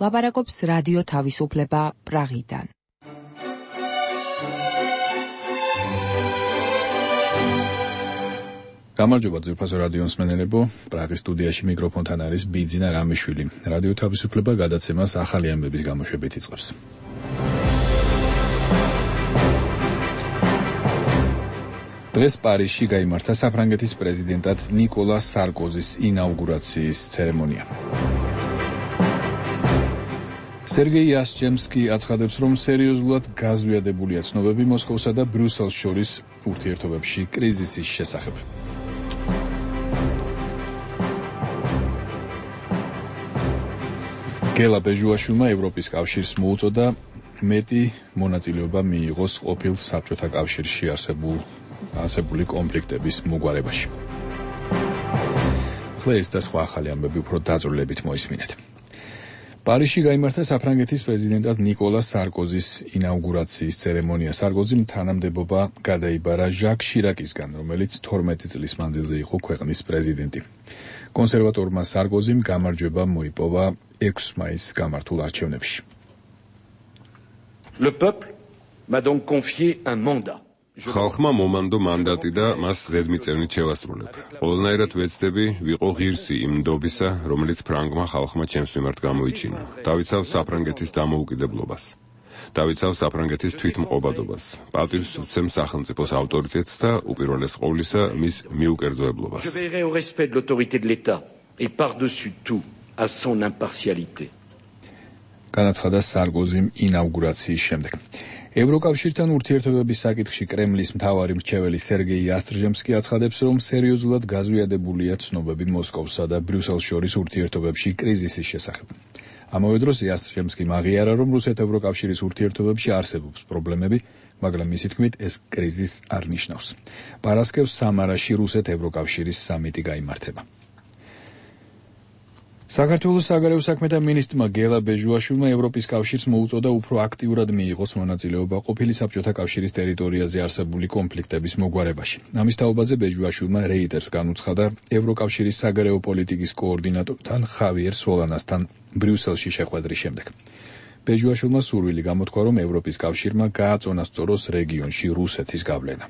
ლაპარაკობს რადიო თავისუფლება პრაღიდან. გამარჯობა ძვირფასო რადიო მსმენელებო, პრაღის სტუდიაში მიკროფონთან არის ბიძინა რამიშვილი. რადიო თავისუფლება გადაცემას ახალი ამბების გამოშვებით იწყებს. დღეს პარიზში გაიმართა საფრანგეთის პრეზიდენტად ნიკოლას სარკოზის ინაუგურაციის ცერემონია. სერგეი იასტრემსკი აცხადებს, რომ სერიოზულად გაზვიადებულია ცნობები მოსკოვსა და ბრიუსელს შორის ურთიერთობებში კრიზისის შესახებ. გელა ბეჟუაშვილმა ევროპის კავშირს მოუწოდა მეტი მონაწილეობა მიიღოს ყოფილ საბჭოთა კავშირში არსებული კონფლიქტების მოგვარებაში. ახლა ეს და სხვა ახალი ამბები უფრო დაწვრილებით მოისმინეთ. პარიზში გაიმართა საფრანგეთის პრეზიდენტად ნიკოლას სარკოზის ინაუგურაციის ცერემონია. სარკოზიმ თანამდებობა გადაიბარა ჟაკ შირაკისგან, რომელიც 12 წლის მანძილზე იყო ქვეყნის პრეზიდენტი. კონსერვატორმა სარკოზიმ გამარჯვება მოიპოვა 6 მაისს გამართულ არჩევნებში. Le peuple m'a donc confié un mandat. ხალხმა მომანდო მანდატი და მას ზედმიწევნით შევასრულებ. ყველანაირად ვეცდები ვიყო ღირსი იმ ნდობისა, რომელიც ფრანგმა ხალხმა ჩემს მიმართ გამოიჩინა. დავიცავ საფრანგეთის დამოუკიდებლობას. დავიცავ საფრანგეთის თვითმყოფადობას. პატივს ვცემ სახელმწიფოს ავტორიტეტს და უპირველეს ყოვლისა მის მიუკერძოებლობას. Je veillerai au respect de l'autorité de l'État et par-dessus tout à son impartialité. განაცხადა სარკოზიმ ინაუგურაციის შემდეგ. ევროკავშირთან ურთიერთობების საკითხში კრემლის მთავარი მრჩეველი სერგეი იასტრემსკი აცხადებს, რომ სერიოზულად გაზვიადებულია ცნობები მოსკოვსა და ბრიუსელს შორის ურთიერთობებში კრიზისის შესახებ. ამავე დროს იასტრემსკი აღიარა, რომ რუსეთ-ევროკავშირის ურთიერთობებში არსებობს პრობლემები, მაგრამ მისი თქმით ეს კრიზისს არ ნიშნავს. პარასკევს სამარაში რუსეთ-ევროკავშირის სამიტი გაიმართება. საქართველოს საგარეო საქმეთა მინისტრმა გელა ბეჟუაშვილმა ევროპის კავშირს მოუწოდა უფრო აქტიურად მიიღოს მონაწილეობა ყოფილი საბჭოთა კავშირის ტერიტორიაზე არსებული კონფლიქტების მოგვარებაში. ამის თაობაზე ბეჟუაშვილმა რეიტერს განუცხადა ევროკავშირის საგარეო პოლიტიკის კოორდინატორთან ხავიერ სოლანასთან ბრიუსელში შეხვედრის შემდეგ. ბეჟუაშვილმა სურვილი გამოთქვა, რომ ევროპის კავშირმა გააწონასწოროს რეგიონში რუსეთის გავლენა.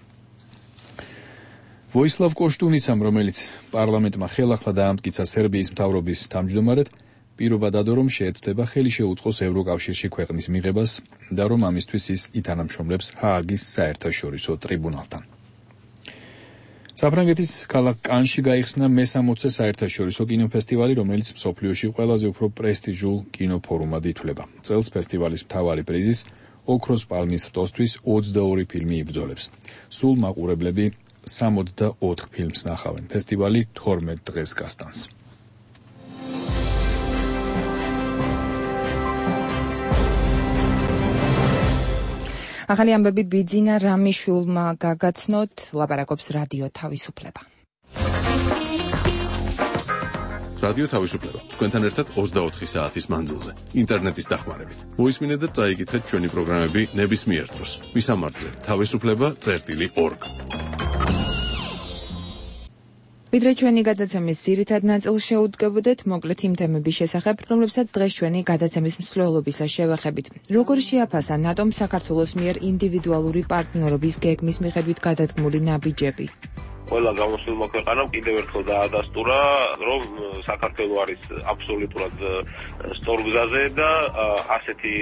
ვოისლავ კოშტუნიცამ, რომელიც პარლამენტმა ხელახლა დაამტკიცა სერბიის მთავრობის თავმჯდომარედ, პირობა დადო, რომ შეეცდება ხელი შეუწყოს ევროკავშირში ქვეყნის მიღებას და რომ ამისთვის ის ითანამშრომლებს ჰააგის საერთაშორისო ტრიბუნალთან. საფრანგეთის ქალაქ კანში გაიხსნა მე-60-ე საერთაშორისო კინოფესტივალი, რომელიც მსოფლიოში ყველაზე უფრო პრესტიჟულ კინოფორუმად ითვლება. წელს ფესტივალის მთავარი პრიზის ოქროს პალმის რტოსთვის 22 ფილმი იბრძოლებს. სულ მაყურებლები 64 ფილმს ნახავენ. ფესტივალი 12 დღეს გასტანს. ახალი ამბები ბიძინა რამიშვილმა გაგაცნოთ, ლაპარაკობს რადიო თავისუფლება. რადიო თავისუფლება. თქვენთან ერთად 24 საათის მანძილზე, ინტერნეტის დახმარებით. მოისმინეთ და წაიკითხეთ ჩვენი პროგრამები ნებისმიერ დროს. მისამართზე თავისუფლება.org. ვიდრე ჩვენი გადაცემის ძირითად ნაწილს შეუდგებოდეთ, მოკლედ იმ თემების შესახებ, რომლებსაც დღეს ჩვენი გადაცემის მსვლელობისას შევეხებით. როგორ შეაფასა ნატომ საქართველოს მიერ ინდივიდუალური პარტნიორობის გეგმის მიხედვით გადადგმული ნაბიჯები? ყველა გამოსულმა ქვეყანამ კიდევ ერთხელ დაადასტურა, რომ საქართველო არის აბსოლუტურად სწორ გზაზე და ასეთი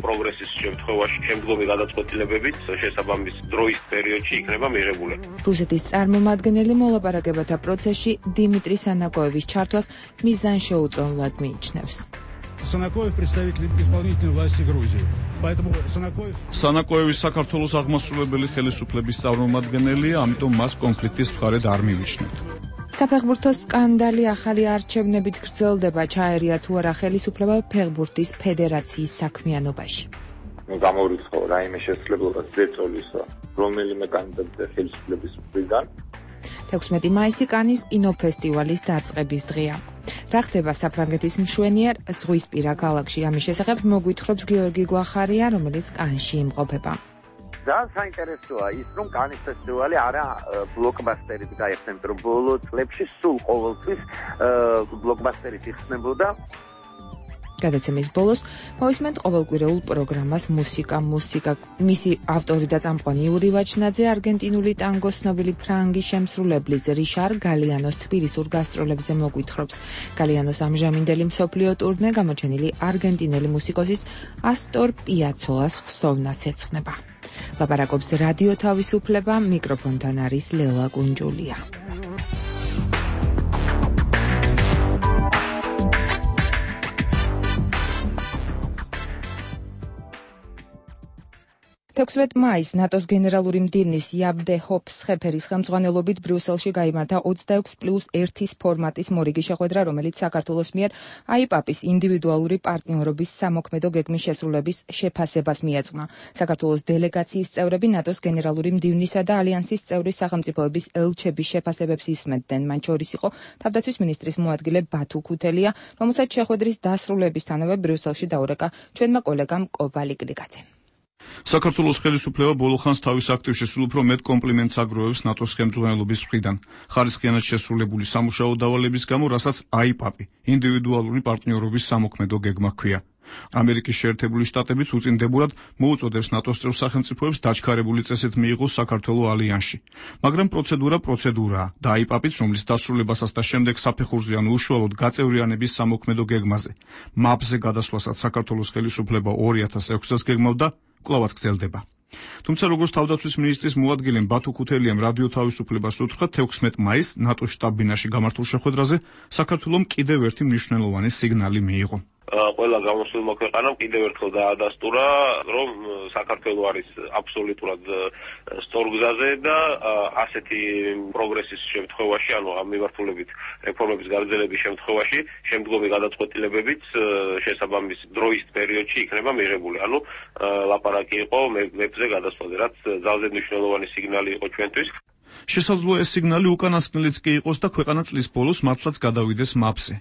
პროგრესის შემთხვევაში შემდგომი გადაწყვეტილებებით შესაბამის დროის პერიოდში იქნება მიღებული. რუსეთის წარმომადგენელი მოლაპარაკებათა პროცესში დიმიტრი სანაკოევის ჩართვას მიზანშეუწონლად მიიჩნევს. Санакоев представитель исполнительной власти Грузии. Поэтому Санакоеვის საქართველოს აღმასრულებელი ხელისუფლების წარმომადგენელია, ამიტომ მას კონფლიქტის მხარედ არ მივიჩნევთ. საფეხბურთო სკანდალი ახალი არჩევნებით გრძელდება, ჩაერია თუ არა ხელისუფლება ფეხბურთის ფედერაციის საქმიანობაში. გამოვრიცხო რაიმე შესაძლებლობა ზეწოლის რომელიმე კანდიდატზე ხელისუფლების მხრიდან. 16 მაისი კანის კინოფესტივალის დაწყების დღეა. რა ხდება საფრანგეთის მშვენიერ ზღვისპირა ქალაქში? ამის შესახებ მოგვითხრობს გიორგი გვახარია, რომელიც კანში იმყოფება. ძალიან საინტერესოა ის, რომ კანის ფესტივალი არა ბლოკბასტერით გაიხსნებოდა, რომ ბოლო წლებში სულ ყოველთვის ბლოკბასტერით იხსნებოდა. გადაცემის ბოლოს მოვისმენთ ყოველკვირეულ პროგრამას მუსიკა. მისი ავტორი და წამყვანი იური ვაჩნაძე არგენტინული ტანგოს ცნობილი ფრანგი შემსრულებლის რიშარ გალიანოს თბილისურ გასტროლებზე მოგვითხრობს. გალიანოს ამჟამინდელი მსოფლიო ტურნე გამოჩენილი არგენტინელი მუსიკოსის ასტორ პიაცოლას ხსოვნას ეძღვნება. ლაპარაკობს რადიო თავისუფლება, მიკროფონთან არის ლელა კუნჯულია. მაისს ნატოს გენერალური მდივნის იაბდე ჰოფსხეფერის ხელმძღვანელობით ბრიუსელში გაიმართა 26+1 ფორმატის მორიგი შეხვედრა, რომელიც საქართველოს მიერ აიპაპის ინდივიდუალური პარტნიორობის სამოქმედო გეგმის შესრულების შეფასებას მიეძღვნა. საქართველოს დელეგაციის წევრები ნატოს გენერალური მდივნისა და ალიანსის წევრი სახელმწიფოების ელჩების შეფასებებს ისმენდნენ. მან შორის იყო თავდაცვის მინისტრის მოადგილე ბათუ ქუთელია, რომელსაც შეხვედრის დასრულებისთანავე ბრიუსელში დაურეკა ჩვენმა კოლეგამ კობალი გრიგაძემ. საქართველოს ხელისუფლება ბოლო ხანს თავის აქტივში სულ უფრო მეტ კომპლიმენტს აგროვებს ნატოს ხელმძღვანელობის მხრიდან. ხარისხიანად შესრულებული სამუშაო დავალების გამო, რასაც აიპაპი, ინდივიდუალური პარტნიორობის სამოქმედო გეგმა ჰქვია. ამერიკის შეერთებული შტატებიც უწინდებურად მოუწოდებს ნატოს წევრ სახელმწიფოებს დაჩქარებული წესით მიიღოს საქართველო ალიანსში. მაგრამ პროცედურაა და აიპაპიც, რომლის დასრულებასაც და შემდეგ საფეხურზე ან უშუალოდ გაწევრიანების სამოქმედო გეგმაზე, მაპზე გადასვლასაც საქართველოს ხელისუფლება 2006 წელს გეგმავდა, კლავაც გრძელდება. თუმცა როგორც თავდაცვის მინისტრის მოადგილემ ბათუ ქუთელიამ რადიო თავისუფლებას უთხრა 16 მაისს ნატოს შტაბ-ბინაში გამართულ შეხვედრაზე საქართველომ კიდევ ერთი მნიშვნელოვანი სიგნალი მიიღო. ყველა გამოსულმა ქვეყანამ კიდევ ერთხელ დაადასტურა, რომ საქართველო არის აბსოლუტურად სწორ გზაზე და ასეთი პროგრესის შემთხვევაში, ანუ ამ მიმართულებით რეფორმების გაგრძელების შემთხვევაში, შემდგომი გადაწყვეტილებებიც შესაბამის დროის პერიოდში იქნება მიღებული. ანუ ლაპარაკი იყო მეფზე გადასვლაზე, რაც ძალზედ მნიშვნელოვანი სიგნალი იყო ჩვენთვის. შესაძლოა ეს სიგნალი უკანასკნელიც კი იყოს და ქვეყანა წლის ბოლოს მართლაც გადავიდეს მაპზე.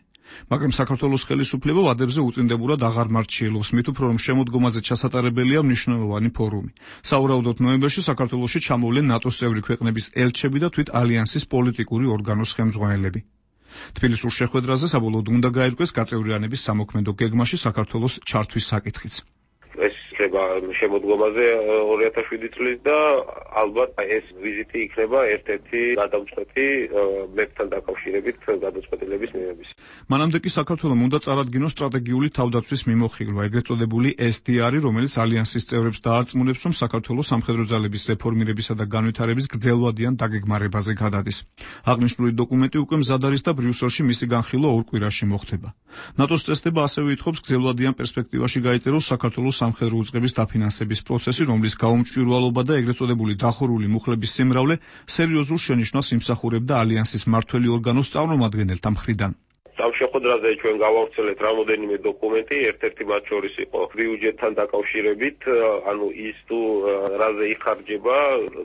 მაგრამ საქართველოს ხელისუფლება ვადებზე უწინდებურად აღარ მარჩიელობს, მით უფრო რომ შემოდგომაზე ჩასატარებელია მნიშვნელოვანი ფორუმი. საუბრობთ ნოემბერში საქართველოში ჩამოვლენ ნატოს წევრი ქვეყნების ელჩები და თვით ალიანსის პოლიტიკური ორგანოს ხელმძღვანელები. თბილისურ შეხვედრაზე საბოლოოდ უნდა გაირკვეს გაწევრიანების სამოქმედო გეგმაში საქართველოს ჩართვის საკითხიც. იქნება შემოდგომაზე 2007 წლის და ალბათ ეს ვიზიტი იქნება ერთ-ერთი გადამწყვეტი მეფთან დაკავშირებით გადაწყვეტილების მიღების. მანამდე კი საქართველომ უნდა წარადგინოს სტრატეგიული თავდაცვის მიმოხილვა, ეგრეთ წოდებული SDR, რომელიც ალიანსის წევრებს დაარწმუნებს, რომ საქართველოს სამხედრო ძალების რეფორმირებისა და განვითარების გრძელვადიან დაგეგმარებაზე გადადის. აღნიშნული დოკუმენტი უკვე მზად არის და ბრიუსელში მისი განხილვა 2 კვირაში მოხდება. ნატოს წესდება ასევე ითხოვს გრძელვადიან პერსპექტივაში გაიწეროს საქართველოს სამხედრო უწყების დაფინანსების პროცესი, რომლის გაუმჭვირვალობა და ეგრეთ წოდებული დახურული მუხლების სიმრავლე სერიოზულ შენიშვნას იმსახურებდა ალიანსის მმართველი ორგანოს წარმომადგენელთა მხრიდან. ამ შეხვედრაზე ჩვენ გავავრცელეთ რამოდენიმე დოკუმენტი, ერთ-ერთი მათ შორის იყო ბიუჯეტთან დაკავშირებით, ანუ ის თუ რაზე იხარჯება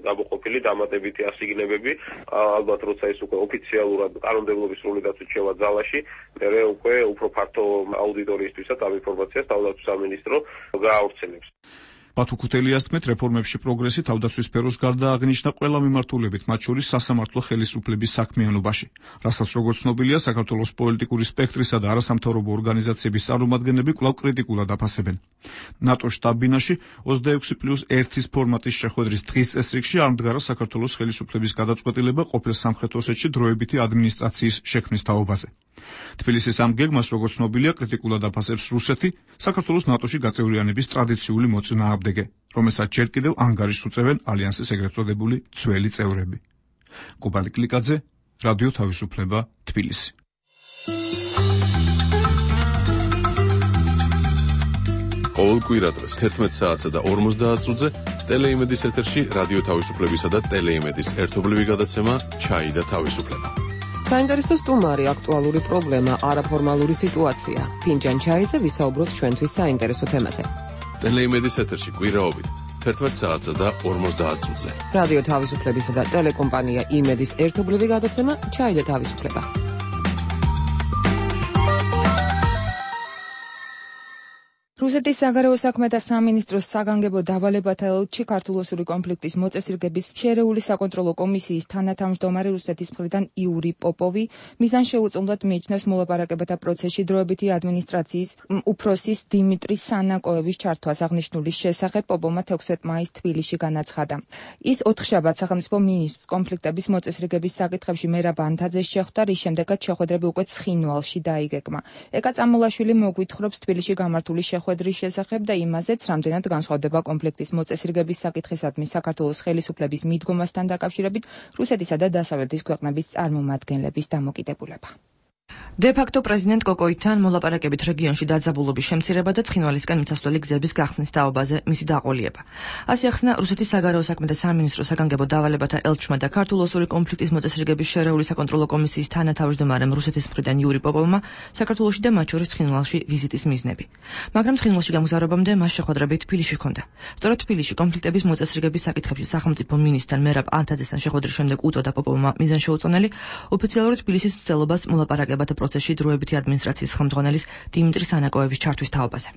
გამოყოფილი დამატებითი ასიგნებები, ალბათ როცა ის უკვე ოფიციალურად კანონმდებლობის სრული დაცვით შევა ძალაში, მერე უკვე უფრო ფართო აუდიტორიისთვისაც ამ ინფორმაციას თავდაცვის სამინისტრო გაავრცელებს. ბათუ ქუთელიას თქმით, რეფორმებში პროგრესი თავდაცვის სფეროს გარდა აღნიშნა ყველა მიმართულებით, მათ შორის სასამართლო ხელისუფლების საქმიანობაში, რასაც როგორც ცნობილია, საქართველოს პოლიტიკური სპექტრისა და არასამთავრობო ორგანიზაციების წარმომადგენლები კვლავ კრიტიკულად აფასებენ. ნატოს შტაბ-ბინაში 26+1 ფორმატის შეხვედრის დღის წესრიგში არ მდგარა საქართველოს ხელისუფლების გადაწყვეტილება ყოფილ სამხრეთ ოსეთში დროებითი ადმინისტრაციის შექმნის თაობაზე. თბილისის ამ გეგმას, როგორც ცნობილია, კრიტიკულად აფასებს რუსეთი, საქართველოს ნატოში გაწევრიანების ტრადიციული მოწინააღმდეგე, რომელსაც ჯერ კიდევ ანგარიშს უწევენ ალიანსის ეგრეთ წოდებული ძველი წევრები. კობალი კლიკაძე, რადიო თავისუფლება, თბილისი. ყოველ კვირადღეს 11 საათსა და 50 წუთზე ტელეიმედის ეთერში რადიო თავისუფლებისა და ტელეიმედის ერთობლივი გადაცემა ჩაი და თავისუფლება. საინტერესო სტუმარი, აქტუალური პრობლემა, არაფორმალური სიტუაცია. ფინჯან ჩაიზე ვისაუბროთ ჩვენთვის საინტერესო თემაზე. ტელეიმედის ეთერში კვირაობით 11 საათსა და 50 წუთზე. რადიო თავისუფლებისა და ტელეკომპანია იმედის ერთობლივი გადაცემა ჩაი და თავისუფლება. რუსეთის საგარეო საქმეთა სამინისტროს საგანგებო დავალებათა ელჩი ქართულ-ოსური კონფლიქტის მოწესრიგების შერეული საკონტროლო კომისიის თანათავმჯდომარე რუსეთის მხრიდან იური პოპოვი მიზანს შეუწყვეტად მიიჩნევს მოლაპარაკებათა პროცესში დროებითი ადმინისტრაციის უფროსის დიმიტრი სანაკოევის ჩართვას. აღნიშნული შესახებ პოპოვმა 16 მაისს თბილისში განაცხადა. ის ოთხშაბათს სახელმწიფო მინისტრს კონფლიქტების მოწესრიგების საკითხებში მერაბ ანთაძეს შეხვდა, რის შემდეგაც შეხვედრები უკვე ცხინვალში დაიგეგმა. ეკა წამულაშვილი მოგვითხრობს თბილისში გამართული შეხვედრის შესახებ და იმაზეც, რამდენად განსხვავდება კონფლიქტის მოწესრიგების საკითხისადმი საქართველოს ხელისუფლების მიდგომასთან დაკავშირებით რუსეთისა და დასავლეთის ქვეყნების წარმომადგენლების დამოკიდებულება. დე-ფაქტო პრეზიდენტ კოკოითან მოლაპარაკებით რეგიონში დაძაბულობის შემცირება და ცხინვალისკენ მიცასვლელი გზების გახსნის თაობაზე მისი დაყოლიება. ასე ახსნა რუსეთის საგარეო საქმეთა სამინისტროს საგანგებო დავალებათა ელჩმა და ქართულ-ოსური კონფლიქტის მოწესრიგების შერეული საკონტროლო კომისიის თანათავმჯდომარემ რუსეთის მხრიდან იური პოპოვმა საქართველოში და მათ შორის ცხინვალში ვიზიტის მიზნები. მაგრამ ცხინვალში გამგზავრებამდე მას შეხვედრები თბილისში ჰქონდა. სწორედ თბილისში კონფლიქტების მოწესრიგების საკითხებში სახელმწიფო მინისტრთან მერაბ ანთაძესთან შეხვედრის შემდეგ უწოდა პოპოვმა მიზანშეუწონელი ოფიციალური თბილისის მცდელობას მოლაპარაკებათა პროცესში დროებითი ადმინისტრაციის ხელმძღვანელის დიმიტრი სანაკოევის ჩართვის თაობაზე.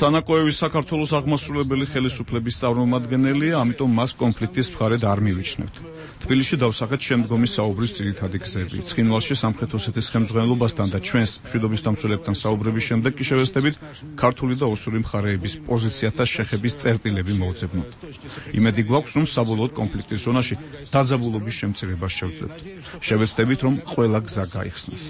სანაკოევის საქართველოს აღმასრულებელი ხელისუფლების წარმომადგენელია, ამიტომ მას კონფლიქტის მხარედ არ მივიჩნევთ. თბილისში დავსახეთ შემდგომი საუბრის ძირითადი გზები. ცხინვალში სამხრეთ ოსეთის ხელმძღვანელობასთან და ჩვენს მშვიდობის დამცველებთან საუბრების შემდეგ კი შევეცდებით ქართული და ოსური მხარეების პოზიციათა შეხების წერტილები მოვძებნოთ. იმედი გვაქვს, რომ საბოლოოდ კონფლიქტის ზონაში დაძაბულობის შემცირებას შევძლებთ. შევეცდებით, რომ ყველა გზა გაიხსნას.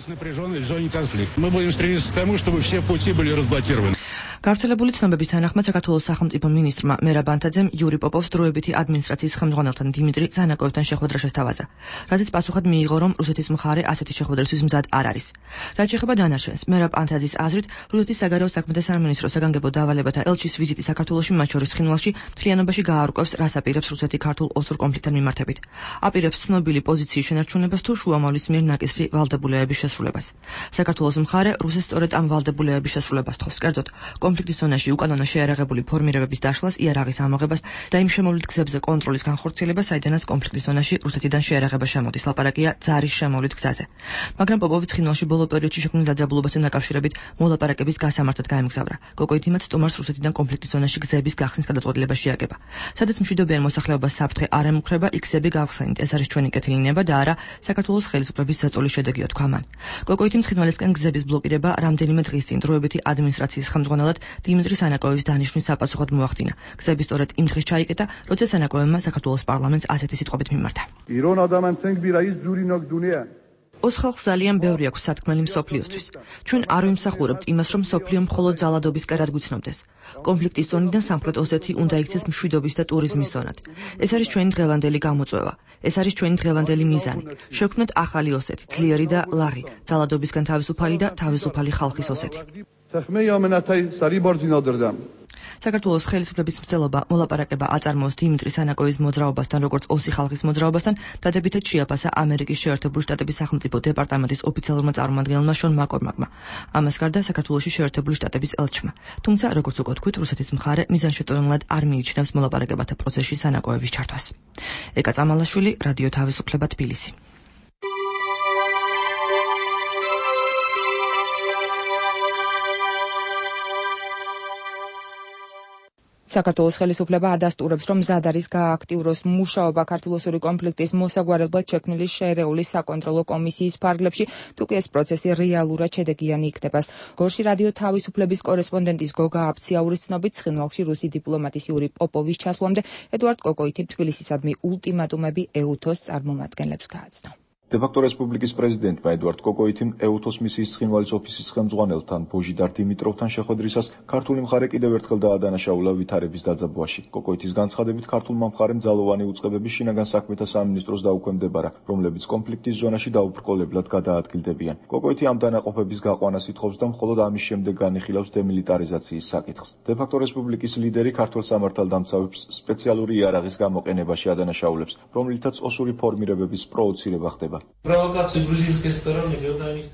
გავრცელებული ცნობების თანახმად საქართველოს სახელმწიფო მინისტრმა მერაბ ანთაძემ იური პოპოვს დროებითი ადმინისტრაციის ხელმძღვანელთან დიმიტრი სანაკოევთან შეხვედრა შესთავაზა, რაზეც პასუხად მიიღო, რომ რუსეთის მხარე ასეთი შეხვედრისთვის მზად არ არის. რაც შეეხება დანარჩენს, მერაბ ანთაძის აზრით, რუსეთის საგარეო საქმეთა სამინისტროს საგანგებო დავალებათა ელჩის ვიზიტი საქართველოში, მათ შორის ცხინვალში, მთლიანობაში გაარკვევს, რას აპირებს რუსეთი ქართულ-ოსურ კონფლიქტთან მიმართებით. აპირებს ცნობილი პოზიციის შენარჩუნებას თუ შუამავლის მიერ ნაკისრი ვალდებულებების შესრულებას. საქართველოს მხარე რუსეთს სწორედ ამ ვალდებულებების შესრულებას თხოვს. კერძოდ, კონფლიქტის ზონაში უკანონო შეიარაღებული ფორმირებების დაშლას, იარაღის ამოღებას და იმ შემოვლით გზებზე კონტროლის განხორციელებას, საიდანაც კონფლიქტის ზონაში რუსეთიდან შეიარაღება შემოდის. ლაპარაკია ძარის შემოვლით გზაზე. მაგრამ პოპოვი ცხინვალში ბოლო პერიოდში შექმნილ დაძაბულობასთან დაკავშირებით მოლაპარაკების გასამართად გაემგზავრა. კოკოითიმაც სტუმარს რუსეთიდან კონფლიქტის ზონაში გზების გახსნის გადაწყვეტილება შეაგება. სადაც მშვიდობიან მოსახლეობას საფრთხე არ ემუქრება, იქ გზები გავხსენით. ეს არის ჩვენი კეთილი ნება და არა საქართველოს ხელისუფლების ზეწოლის შედეგია, თქვა მან. კოკოითიმ ცხინვალისკენ გზების ბლოკირება რამდენიმე დღის წინ დროებითი ადმინისტრაციის ხელმძღვანელად დიმიტრი სანაკოევის დანიშვნის საპასუხოდ მოახდინა. გზები სწორედ იმ დღეს ჩაიკეტა, როცა სანაკოევმა საქართველოს პარლამენტს ასეთი სიტყვებით მიმართა. ოს ხალხს ძალიან ბევრი აქვს სათქმელი მსოფლიოსთვის. ჩვენ არ ვიმსახურებთ იმას, რომ მსოფლიო მხოლოდ ძალადობისკენ გვიცნობდეს. კონფლიქტის ზონიდან სამხრეთ ოსეთი უნდა იქცეს მშვიდობის და ტურიზმის ზონად. ეს არის ჩვენი დღევანდელი გამოწვევა. ეს არის ჩვენი დღევანდელი მიზანი. შევქმნათ ახალი ოსეთი, ძლიერი და ლაღი, ძალადობისგან თავისუფალი და თავისუფალი ხალხის ოსეთი. საქართველოს ხელისუფლების მცდელობა მოლაპარაკება აწარმოოს დიმიტრი სანაკოევის მოძრაობასთან, როგორც ოსი ხალხის მოძრაობასთან, დადებითად შეაფასა ამერიკის შეერთებული შტატების სახელმწიფო დეპარტამენტის ოფიციალურმა წარმომადგენელმა შონ მაკორმაკმა. ამას გარდა საქართველოში შეერთებული შტატების ელჩმა. თუმცა, როგორც უკვე თქვით, რუსეთის მხარე მიზანშეწონილად არ მიიჩნევს მოლაპარაკებათა პროცესში სანაკოევის ჩართვას. ეკა წამალაშვილი, რადიო თავისუფლება, თბილისი. საქართველოს ხელისუფლება ადასტურებს, რომ მზად არის გააქტიუროს მუშაობა ქართულ-ოსური კონფლიქტის მოსაგვარებლად შექმნილი შერეული საკონტროლო კომისიის ფარგლებში, თუკი ეს პროცესი რეალურად შედეგიანი იქნება. გორში რადიო თავისუფლების კორესპონდენტის გოგა აფციაურის ცნობით, ცხინვალში რუსი დიპლომატის იური პოპოვის ჩასვლამდე ედუარდ კოკოითიმ თბილისისადმი ულტიმატუმები ეუთოს წარმომადგენლებს გააცნო. დე-ფაქტო რესპუბლიკის პრეზიდენტმა ედუარდ კოკოითიმ ეუთოს მისიის ცხინვალის ოფისის ხელმძღვანელთან ბოჟიდარ დიმიტროვთან შეხვედრისას ქართული მხარე კიდევ ერთხელ დაადანაშაულა ვითარების დაძაბვაში. კოკოითის განცხადებით, ქართულმა მხარემ ძალოვანი უწყებები შინაგან საქმეთა სამინისტროს დაუქვემდებარა, რომლებიც კონფლიქტის ზონაში დაუბრკოლებლად გადაადგილდებიან. კოკოითი ამ დანაყოფების გაყვანას ითხოვს და მხოლოდ ამის შემდეგ განიხილავს დემილიტარიზაციის საკითხს. დე-ფაქტო რესპუბლიკის ლიდერი ქართველ სამართალდამცავებს სპეციალური იარაღის გამოყენებაში ადანაშაულებს, რომლითაც ოსური ფორმირებების პროვოცირება ხდება.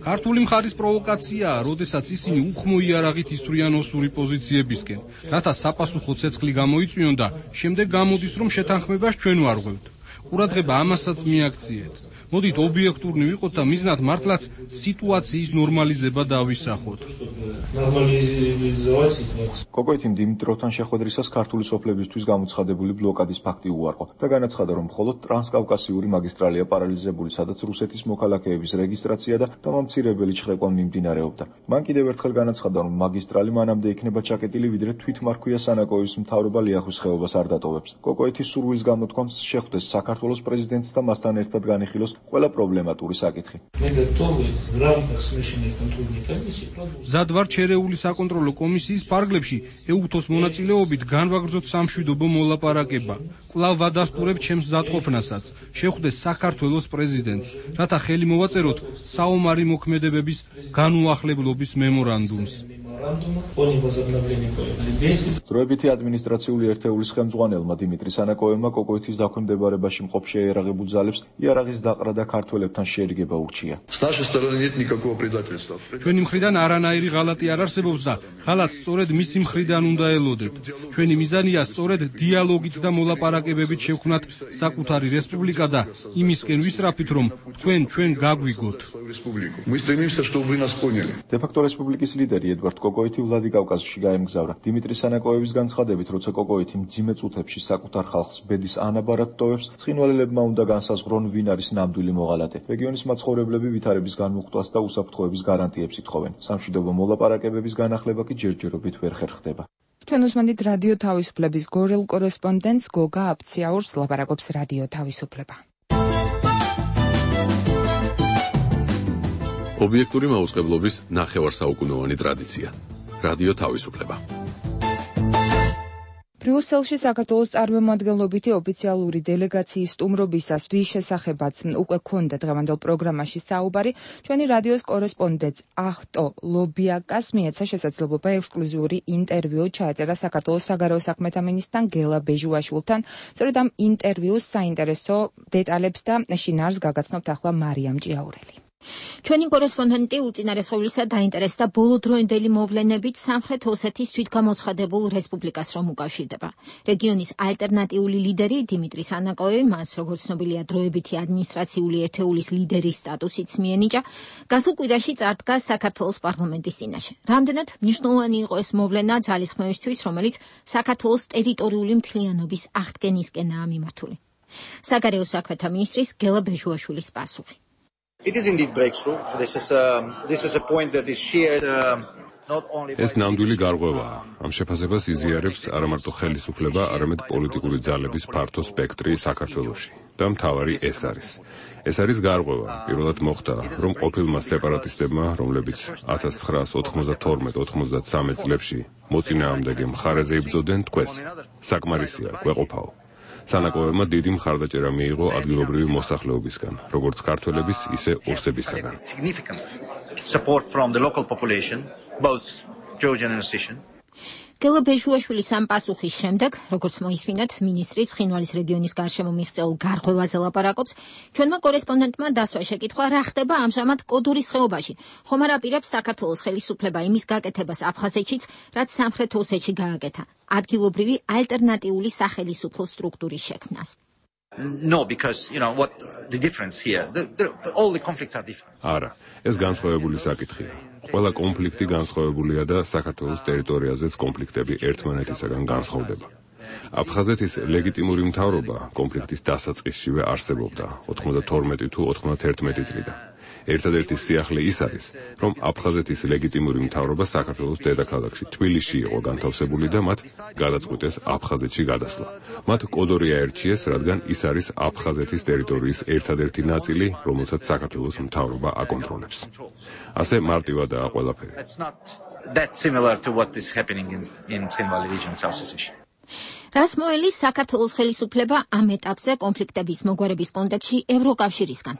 ქართული მხარის პროვოკაციაა, როდესაც ისინი უხმო იარაღით ისვრიან ოსური პოზიციებისკენ, რათა საპასუხო ცეცხლი გამოიწვიონ და შემდეგ გამოდის, რომ შეთანხმებას ჩვენ ვარღვევთ. ყურადღება ამასაც მიაქციეთ. მოდით ობიექტურნი ვიყოთ და მიზნად მართლაც სიტუაციის ნორმალიზება დავისახოთ. კოკოითიმ დიმიტროვთან შეხვედრისას ქართული სოფლებისთვის გამოცხადებული ბლოკადის ფაქტი უარყო და განაცხადა, რომ მხოლოდ ტრანსკავკასიური მაგისტრალია პარალიზებული, სადაც რუსეთის მოქალაქეების რეგისტრაცია და დამამცირებელი ჩხრეკვა მიმდინარეობდა. მან კიდევ ერთხელ განაცხადა, რომ მაგისტრალი მანამდე იქნება ჩაკეტილი, ვიდრე თვითმარქვია სანაკოევის მთავრობა ლიახვის ხეობას არ დატოვებს. კოკოეთის სურვილის გამოთქვამს შეხვდეს საქართველოს პრეზიდენტს და მასთან ერთად განიხილოს ყველა პრობლემატური საკითხი. მზად ვარ ჩერეული საკონტროლო კომისიის ფარგლებში ეუთოს მონაწილეობით განვაგრძოთ სამშვიდობო მოლაპარაკება. კვლავ ვადასტურებ ჩემს მზადყოფნასაც, შეხვდეს საქართველოს პრეზიდენტს, რათა ხელი მოვაწეროთ საომარი მოქმედებების განუახლებლობის მემორანდუმს. დროებითი ადმინისტრაციული ერთეულის ხელმძღვანელმა დიმიტრი სანაკოევმა კოკოეთის დაქვემდებარებაში მყოფ შეიარაღებულ ძალებს იარაღის დაყრა და ქართველებთან შერიგება ურჩია. ჩვენი მხრიდან არანაირი ღალატი არ არსებობს და ღალატს სწორედ მისი მხრიდან უნდა ელოდებთ. ჩვენი მიზანია სწორედ დიალოგით და მოლაპარაკებებით შევქმნათ საკუთარი რესპუბლიკა და იმისკენ ვისწრაფით, რომ ჩვენ გაგვიგოთ. დე-ფაქტო რესპუბლიკის ლიდერი ედვარდ კოკოითი ვლადიკავკაზში გაემგზავრა. დიმიტრი სანაკოევის განცხადებით, როცა კოკოითი მძიმე წუთებში საკუთარ ხალხს ბედის ანაბარად ტოვებს, ცხინვალელებმა უნდა განსაზღვრონ, ვინ არის ნამდვილი მოღალატე. რეგიონის მაცხოვრებლები ვითარების განმუხტვას და უსაფრთხოების გარანტიებს ითხოვენ. სამშვიდობო მოლაპარაკებების განახლება კი ჯერჯერობით ვერ ხერხდება. ჩვენ უსმენთ რადიო თავისუფლების გორელ კორესპონდენტს გოგა აფციაურს, ლაპარაკობს რადიო თავისუფლება. ობიექტური მაუწყებლობის ნახევარსაუკუნოვანი ტრადიცია. რადიო თავისუფლება. ბრიუსელში საქართველოს წარმომადგენლობითი ოფიციალური დელეგაციის სტუმრობისას რის შესახებაც უკვე ქონდა დღევანდელ პროგრამაში საუბარი, ჩვენი რადიოს კორესპონდენტს ახტო ლობიაკას მიეცა შესაძლებლობა ექსკლუზიური ინტერვიუ ჩაეწერა საქართველოს საგარეო საქმეთა მინისტრთან გელა ბეჟუაშვილთან. სწორედ ამ ინტერვიუს საინტერესო დეტალებს და შინაარსს გაგაცნობთ ახლა მარიამ ჭიაურელი. ჩვენი კორესპონდენტი უწინარესობლისა დაინტერესდა ბოლოდროინდელი მოვლენებით სამხრეთ ოსეთის თვითგამოცხადებულ რესპუბლიკას რომ უკავშირდება. რეგიონის ალტერნატიული ლიდერი დიმიტრი სანაკოევი მას, როგორც ცნობილია, დროებითი ადმინისტრაციული ერთეულის ლიდერის სტატუსიც მიენიჭა, გასულ კვირაში წარდგა საქართველოს პარლამენტის წინაშე. რამდენად მნიშვნელოვანი იყო ეს მოვლენა ძალისხმევისთვის, რომელიც საქართველოს ტერიტორიული მთლიანობის აღდგენისკენაა მიმართული. საგარეო საქმეთა მინისტრის გელა ბეჟუაშვილის პასუხი. It is indeed breakthrough. This is a point that is shared not only by ეს ნამდვილი გარღვევაა. ამ შეფასებას იზიარებს არა მარტო ხელისუფლება, არამედ პოლიტიკური ძალების ფართო სპექტრი საქართველოში. და მთავარი ეს არის. ეს არის გარღვევა. პირველად მოხდა, რომ ყოფილმა სეპარატისტებმა, რომლებიც 1992-93 წლებში მოწინააღმდეგე მხარეზე იბრძოდნენ, თქვეს საკმარისია, გვეყოფაო. სანაკოევმა დიდი მხარდაჭერა მიიღო ადგილობრივი მოსახლეობისგან, როგორც ქართველების, ისე ოსებისგან. support from the local population, both Georgian and Ossetian. გელა ბეჟუაშვილის ამ პასუხის შემდეგ, როგორც მოისმინეთ, მინისტრი ცხინვალის რეგიონის გარშემო მიღწეულ გარღვევაზე ლაპარაკობს, ჩვენმა კორესპონდენტმა დასვა შეკითხვა, რა ხდება ამჟამად კოდორის ხეობაში. ხომ არ აპირებს საქართველოს ხელისუფლება იმის გაკეთებას აფხაზეთშიც, რაც სამხრეთ ოსეთში გააკეთა, ადგილობრივი ალტერნატიული სახელისუფლო სტრუქტურის შექმნას. No, because what the difference here, all the conflicts are different. არა, ეს განსხვავებული საკითხია. ყველა კონფლიქტი განსხვავებულია და საქართველოს ტერიტორიაზეც კონფლიქტები ერთმანეთისაგან განსხვავდება. აფხაზეთის ლეგიტიმური მთავრობა კონფლიქტის დასაწყისშივე არსებობდა 92 თუ 91 წლიდან. ერთადერთი სიახლე ის არის, რომ აფხაზეთის ლეგიტიმური მთავრობა საქართველოს დედაქალაქში თბილისში იყო განთავსებული და მათ გადაწყვიტეს აფხაზეთში გადასვლა. მათ კოდორი აერჩიეს, რადგან ის არის აფხაზეთის ტერიტორიის ერთადერთი ნაწილი, რომელსაც საქართველოს მთავრობა აკონტროლებს. ასე მარტივადაა ყველაფერი. That's not that similar to what is happening in Tkhinvali region, South Ossetia. რას მოელის საქართველოს ხელისუფლება ამ ეტაპზე კონფლიქტების მოგვარების კონტექსტში ევროკავშირისგან?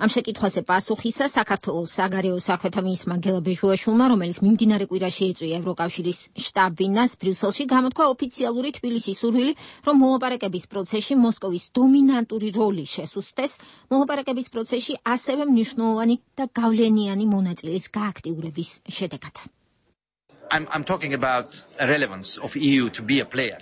ამ შეკითხვაზე პასუხისა საქართველოს საგარეო საქმეთა მინისტრმა გელა ბეჟუაშვილმა, რომელიც მიმდინარე კვირაში ეწვია ევროკავშირის შტაბ-ბინას ბრიუსელში, გამოთქვა ოფიციალური თბილისის სურვილი, რომ მოლაპარაკების პროცესში მოსკოვის დომინანტური როლი შესუსტდეს, მოლაპარაკების პროცესში ასევე მნიშვნელოვანი და გავლენიანი მონაწილეს გააქტიურების შედეგად. I'm talking about the relevance of EU to be a player.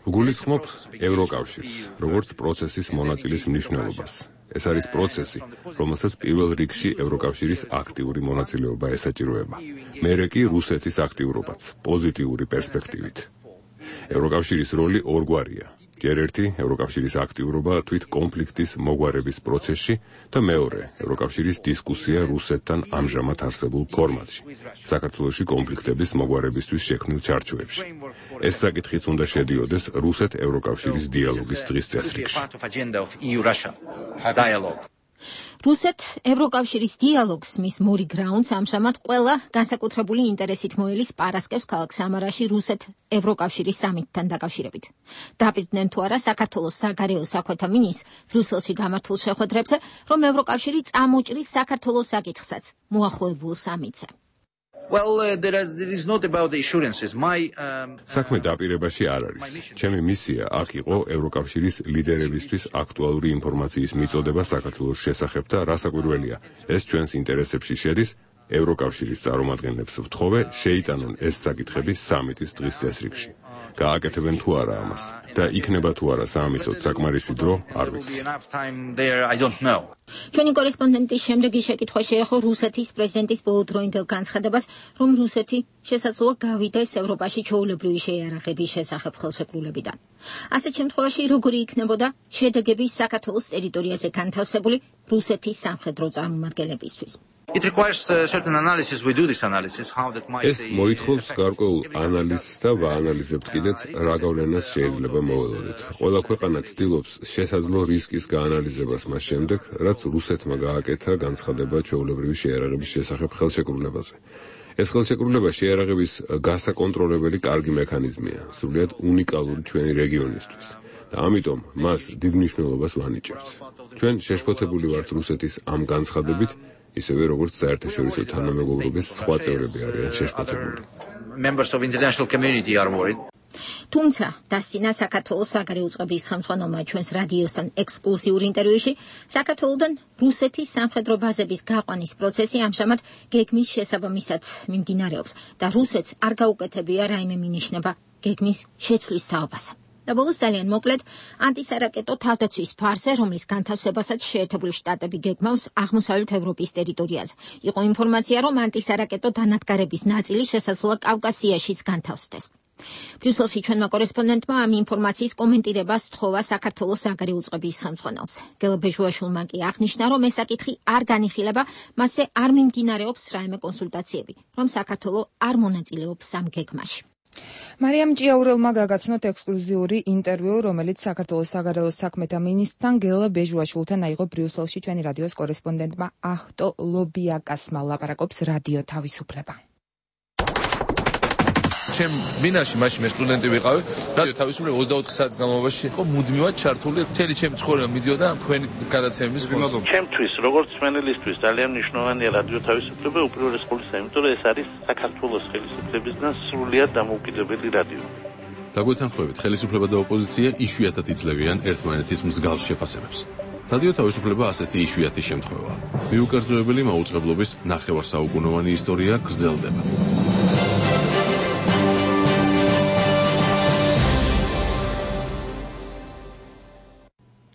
გულისხმობ ევროკავშირს, როგორც პროცესის მონაწილის მნიშვნელობას. ეს არის პროცესი, რომელსაც პირველ რიგში ევროკავშირის აქტიური მონაწილეობა ესაჭიროება. მერე კი რუსეთის აქტიურობაც, პოზიტიური პერსპექტივით. ევროკავშირის როლი ორგვარია. ჯერ ერთი ევროკავშირის აქტიურობა თვით კონფლიქტის მოგვარების პროცესში და მეორე ევროკავშირის დისკუსია რუსეთთან ამჟამად არსებულ ფორმატში, საქართველოში კონფლიქტების მოგვარებისთვის შექმნილ ჩარჩოებში. ეს საკითხიც უნდა შედიოდეს რუსეთ-ევროკავშირის დიალოგის დღის წესრიგში. რუსეთ-ევროკავშირის დიალოგს მის მორი გრაუნდს ამჟამად ყველა განსაკუთრებული ინტერესით მოელის პარასკევს ქალაქ სამარაში რუსეთ-ევროკავშირის სამიტთან დაკავშირებით. დაპირდნენ თუ არა საქართველოს საგარეო საქმეთა მინისტრს ბრიუსელში გამართულ შეხვედრებზე, რომ ევროკავშირი წამოჭრის საქართველოს საკითხსაც მოახლოებულ სამიტზე. Well, there is not about the assurances. საქმე დაპირებაში არ არის. ჩემი მისია აქ იყო ევროკავშირის ლიდერებისთვის აქტუალური ინფორმაციის მიწოდება საქართველოს შესახებ და რასაკვირველია, ეს ჩვენს ინტერესებში შედის. ევროკავშირის წარმომადგენლებს ვთხოვე შეიტანონ ეს საკითხები სამიტის დღის წესრიგში. გააკეთებენ თუ არა ამას და იქნება თუ არა საამისოდ საკმარისი დრო, არ ვიცი. ჩვენი კორესპონდენტის შემდეგი შეკითხვა შეეხო რუსეთის პრეზიდენტის ბოლოდროინდელ განცხადებას, რომ რუსეთი შესაძლოა გავიდეს ევროპაში ჩვეულებრივი შეიარაღების შესახებ ხელშეკრულებიდან. ასეთ შემთხვევაში როგორი იქნებოდა შედეგები საქართველოს ტერიტორიაზე განთავსებული რუსეთის სამხედრო წარმომადგენლებისთვის? It requires certain analysis. We do this analysis. How that might ეს მოითხოვს გარკვეულ ანალიზს და ვაანალიზებთ კიდეც რა გავლენას შეიძლება მოველოდოთ. ყველა ქვეყანა ცდილობს შესაძლო რისკის გაანალიზებას მას შემდეგ, რაც რუსეთმა გააკეთა განცხადება ჩვეულებრივი შეიარაღების შესახებ ხელშეკრულებაზე. ეს ხელშეკრულება შეიარაღების გასაკონტროლებელი კარგი მექანიზმია, სრულიად უნიკალური ჩვენი რეგიონისთვის. და ამიტომ მას დიდ მნიშვნელობას ვანიჭებთ. ჩვენ შეშფოთებული ვართ რუსეთის ამ განცხადებით, ისევე როგორც საერთაშორისო თანამეგობრობის სხვა წევრები არიან შეშფოთებული. Members of international community are worried. თუმცა დასცინა საქართველოს საგარეო წყობის ხელმძღვანელმა ჩვენს რადიოსთან ექსკლუზიურ ინტერვიუში საქართველოდან რუსეთის სამხედრო ბაზების გაყვანის პროცესი ამჟამად გეგმის შესაბამისად მიმდინარეობს და რუსეთს არ გაუკეთებია რაიმე მინიშნება გეგმის შეცვლის საუბარს. და ბოლოს ძალიან მოკლედ ანტისარაკეტო თავდაცვის ფარზე, რომლის განთავსებასაც შეერთებული შტატები გეგმავს აღმოსავლეთ ევროპის ტერიტორიაზე. იყო ინფორმაცია, რომ ანტისარაკეტო დანადგარების ნაწილი შესაძლოა კავკასიაშიც განთავსდეს. ბრიუსელში ჩვენმა კორესპონდენტმა ამ ინფორმაციის კომენტირებას სთხოვა საქართველოს საგარეო წყობის ხელმძღვანელს. გელა ბეჟუაშვილმა კი აღნიშნა, რომ ეს საკითხი არ განიხილება, მასზე არ მიმდინარეობს რაიმე კონსულტაციები, რომ საქართველო არ მონაწილეობს ამ გეგმაში. მარიამ ჭიაურელმა გაგაცნოთ ექსკლუზიური ინტერვიუ, რომელიც საქართველოს საგარეო საქმეთა მინისტრთან გელა ბეჟუაშვილთან აიღო ბრიუსელში ჩვენი რადიოს კორესპონდენტმა ახტო ლობიაკასმა. ლაპარაკობს რადიო თავისუფლება. ჩემ ბინაში მაშინ მე სტუდენტი ვიყავი, რადიო თავისუფლება 24 საათის განმავლობაში იყო მუდმივად ჩართული, მთელი ჩემი ცხოვრება მიდიოდა თქვენი გადაცემების ხონზე. ჩემთვის, როგორც სვენელისთვის, ძალიან მნიშვნელოვანია რადიო თავისუფლება უპირველეს ყოვლისა, იმიტომ რომ ეს არის საქართველოს ხელისუფლებისგან სრულიად დამოუკიდებელი რადიო. დაგვეთანხმებით, ხელისუფლება და ოპოზიცია იშვიათად იძლევიან ერთმანეთის მსგავს შეფასებებს. რადიო თავისუფლება ასეთი იშვიათი შემთხვევაა. მიუკერძოებელი მაუწყებლობის ნახევარსაუკუნოვანი ისტორია გრძელდება.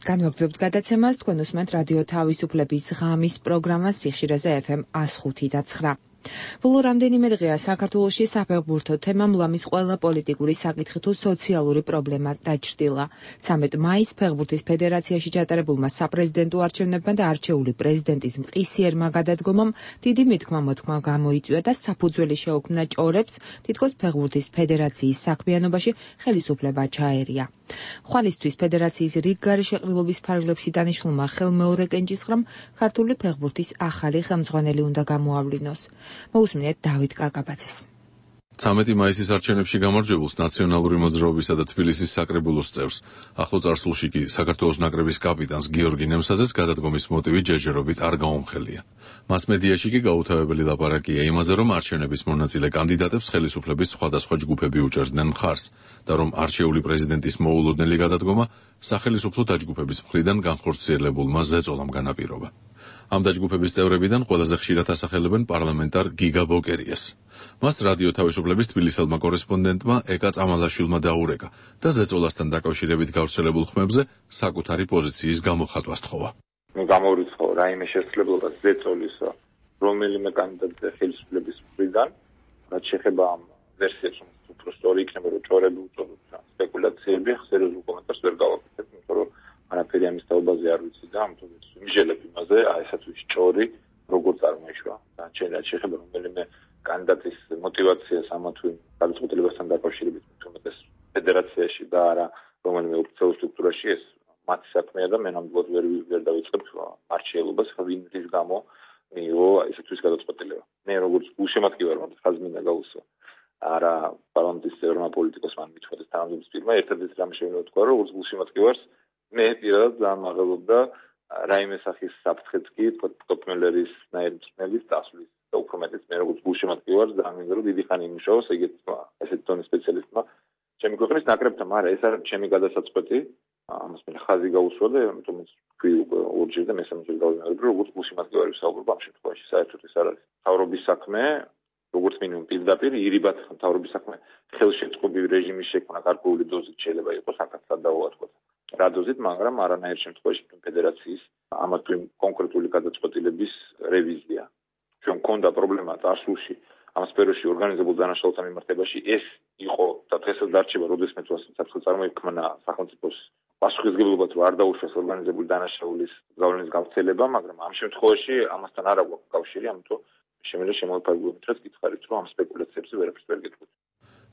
განვაგრძობთ გადაცემას, თქვენ უსმენთ რადიო თავისუფლების ღამის პროგრამას სიხშირეზე FM 105.9. ბოლო რამდენიმე დღეა საქართველოში საფეხბურთო თემამ ლამის ყველა პოლიტიკური საკითხი თუ სოციალური პრობლემა დაჭრილა. 13 მაისს ფეხბურთის ფედერაციაში ჩატარებულმა საპრეზიდენტო არჩევნებმა და არჩეული პრეზიდენტის მყისიერმა გადადგომამ დიდი მითქმა-მოთქმა გამოიწვია და საფუძველი შეუქმნა ჭორებს, თითქოს ფეხბურთის ფედერაციის საქმიანობაში ხელისუფლება ჩაერია. ხვალისთვის ფედერაციის რიგგარი შეყრილობის ფარგლებში დანიშნულმა ხელმეორე კენჭისყრამ ქართული ფეხბურთის ახალი ხელმძღვანელი უნდა გამოავლინოს. მოусმინეთ დავით კაკაბაძეს. 13 მაისის არჩევნებში გამარჯვებულს ნაციონალური მოძრაობისა და თბილისის საკრებულოს წევრს, ახლო წარსულში კი საქართველოს ნაკრების კაპიტანს გიორგი ნემსაძეს გადადგომის მოტივი ჯერჯერობით არ გაუმხელია. მასმედიაში კი გაუთავებელი ლაპარაკია იმაზე, რომ არჩევნების მონაწილე კანდიდატებს ხელისუფლების სხვადასხვა ჯგუფები უჭერდნენ მხარს და რომ არჩეული პრეზიდენტის მოულოდნელი გადადგომა სახელისუფლო დაჯგუფების მხრიდან განხორციელებულმა ზეწოლამ განაპირობა. ამ დაჯგუფების წევრებიდან ყველაზე ხშირად ასახელებენ პარლამენტარ გიგა ბოკერიას. მას რადიო თავისუფლების თბილისელმა კორესპონდენტმა ეკა წამალაშვილმა დაურეკა და ზეწოლასთან დაკავშირებით გავრცელებულ ხმებზე საკუთარი პოზიციის გამოხატვა სთხოვა. გამორიცხო რაიმე შესაძლებლობა ზეწოლისა რომელიმე კანდიდატზე ხელისუფლების მხრიდან რაც შეეხება ამ ვერსიებს უფრო სწორი იქნება რომ ჭორები უწოდოთ სპეკულაციები სერიოზულ კომენტარს ვერ გავაკეთებ იმიტომ რომ არაფერი ამის თაობაზე არ ვიცი და ამიტომ მიჟელებ იმაზე აისაც ის ჭორი როგორ წარმოიშვა და რაც შეეხება რომელიმე კანდიდატის მოტივაციას ამა თუ იმ გადაწყვეტილებასთან დაკავშირებით თუმცა ფედერაციაში და არა რომელიმე ოფიციალურ სტრუქტურაში ეს მათი საქმეა და მე ნამდვილად ვერ დავიწყებ არჩეულობას ვინ რის გამო მიიღო ესეთვის გადაწყვეტილება მე როგორც გულშემატკივარ ხაზს მინდა გავუსვა არა პარლამენტის წევრმა პოლიტიკოსმა მithოდეს თანამდებობის პირმა ერთადერთი რამე შეიძლება ვთქვა რომ როგორც გულშემატკივარს მე პირადად ძალიან მაღლობდა რაიმე სახის საფრთხეც კი ტოპ-მელერის ნაირწმენის დასვლის და უფრო მეტიც მე როგორც გულშემატკივარს ძალიან მინდა რომ დიდი ხანი იმუშაოს ესეთ დონის სპეციალისტმა ჩემი ქვეყნის ნაკრებთან მაგრამ ეს არის ჩემი გადასაწყვეტი ამას მე ხაზი გავუსვა და ამიტომ თქვი ორჯერ და მესამეჯერ გავიმეორებ რომ როგორც გულშემატკივარი ვსაუბრობ ამ შემთხვევაში საერთოდ ეს არის მთავრობის საქმე როგორც მინიმუმ პირდაპირ ირიბად მთავრობის საქმე ხელშეწყობილ რეჟიმის შექმნა გარკვეული დოზით შეიძლება იყოს აქაც სადავოა თქო რა დოზით მაგრამ არანაირ შემთხვევაში ფედერაციის ამა თუ იმ კონკრეტული გადაწყვეტილების რევიზია ჩვენ მქონდა პრობლემა წარსულში ამ სფეროში ორგანიზებულ დანაშაულთა მიმართებაში ეს იყო და დღესაც დარჩება როდესმე საფრთხე წარმოიქმნა სახელმწიფოს პასუხისმგებლობად რომ არ დაუშვას ორგანიზებული დანაშაულის გავლენის გავრცელება მაგრამ ამ შემთხვევაში ამასთან არ აქვს კავშირი ამიტომ შემიძლია შემოვიფარგლებოთ რაც გითხარით რომ ამ სპეკულაციებზე ვერაფერს ვერ გეტყვით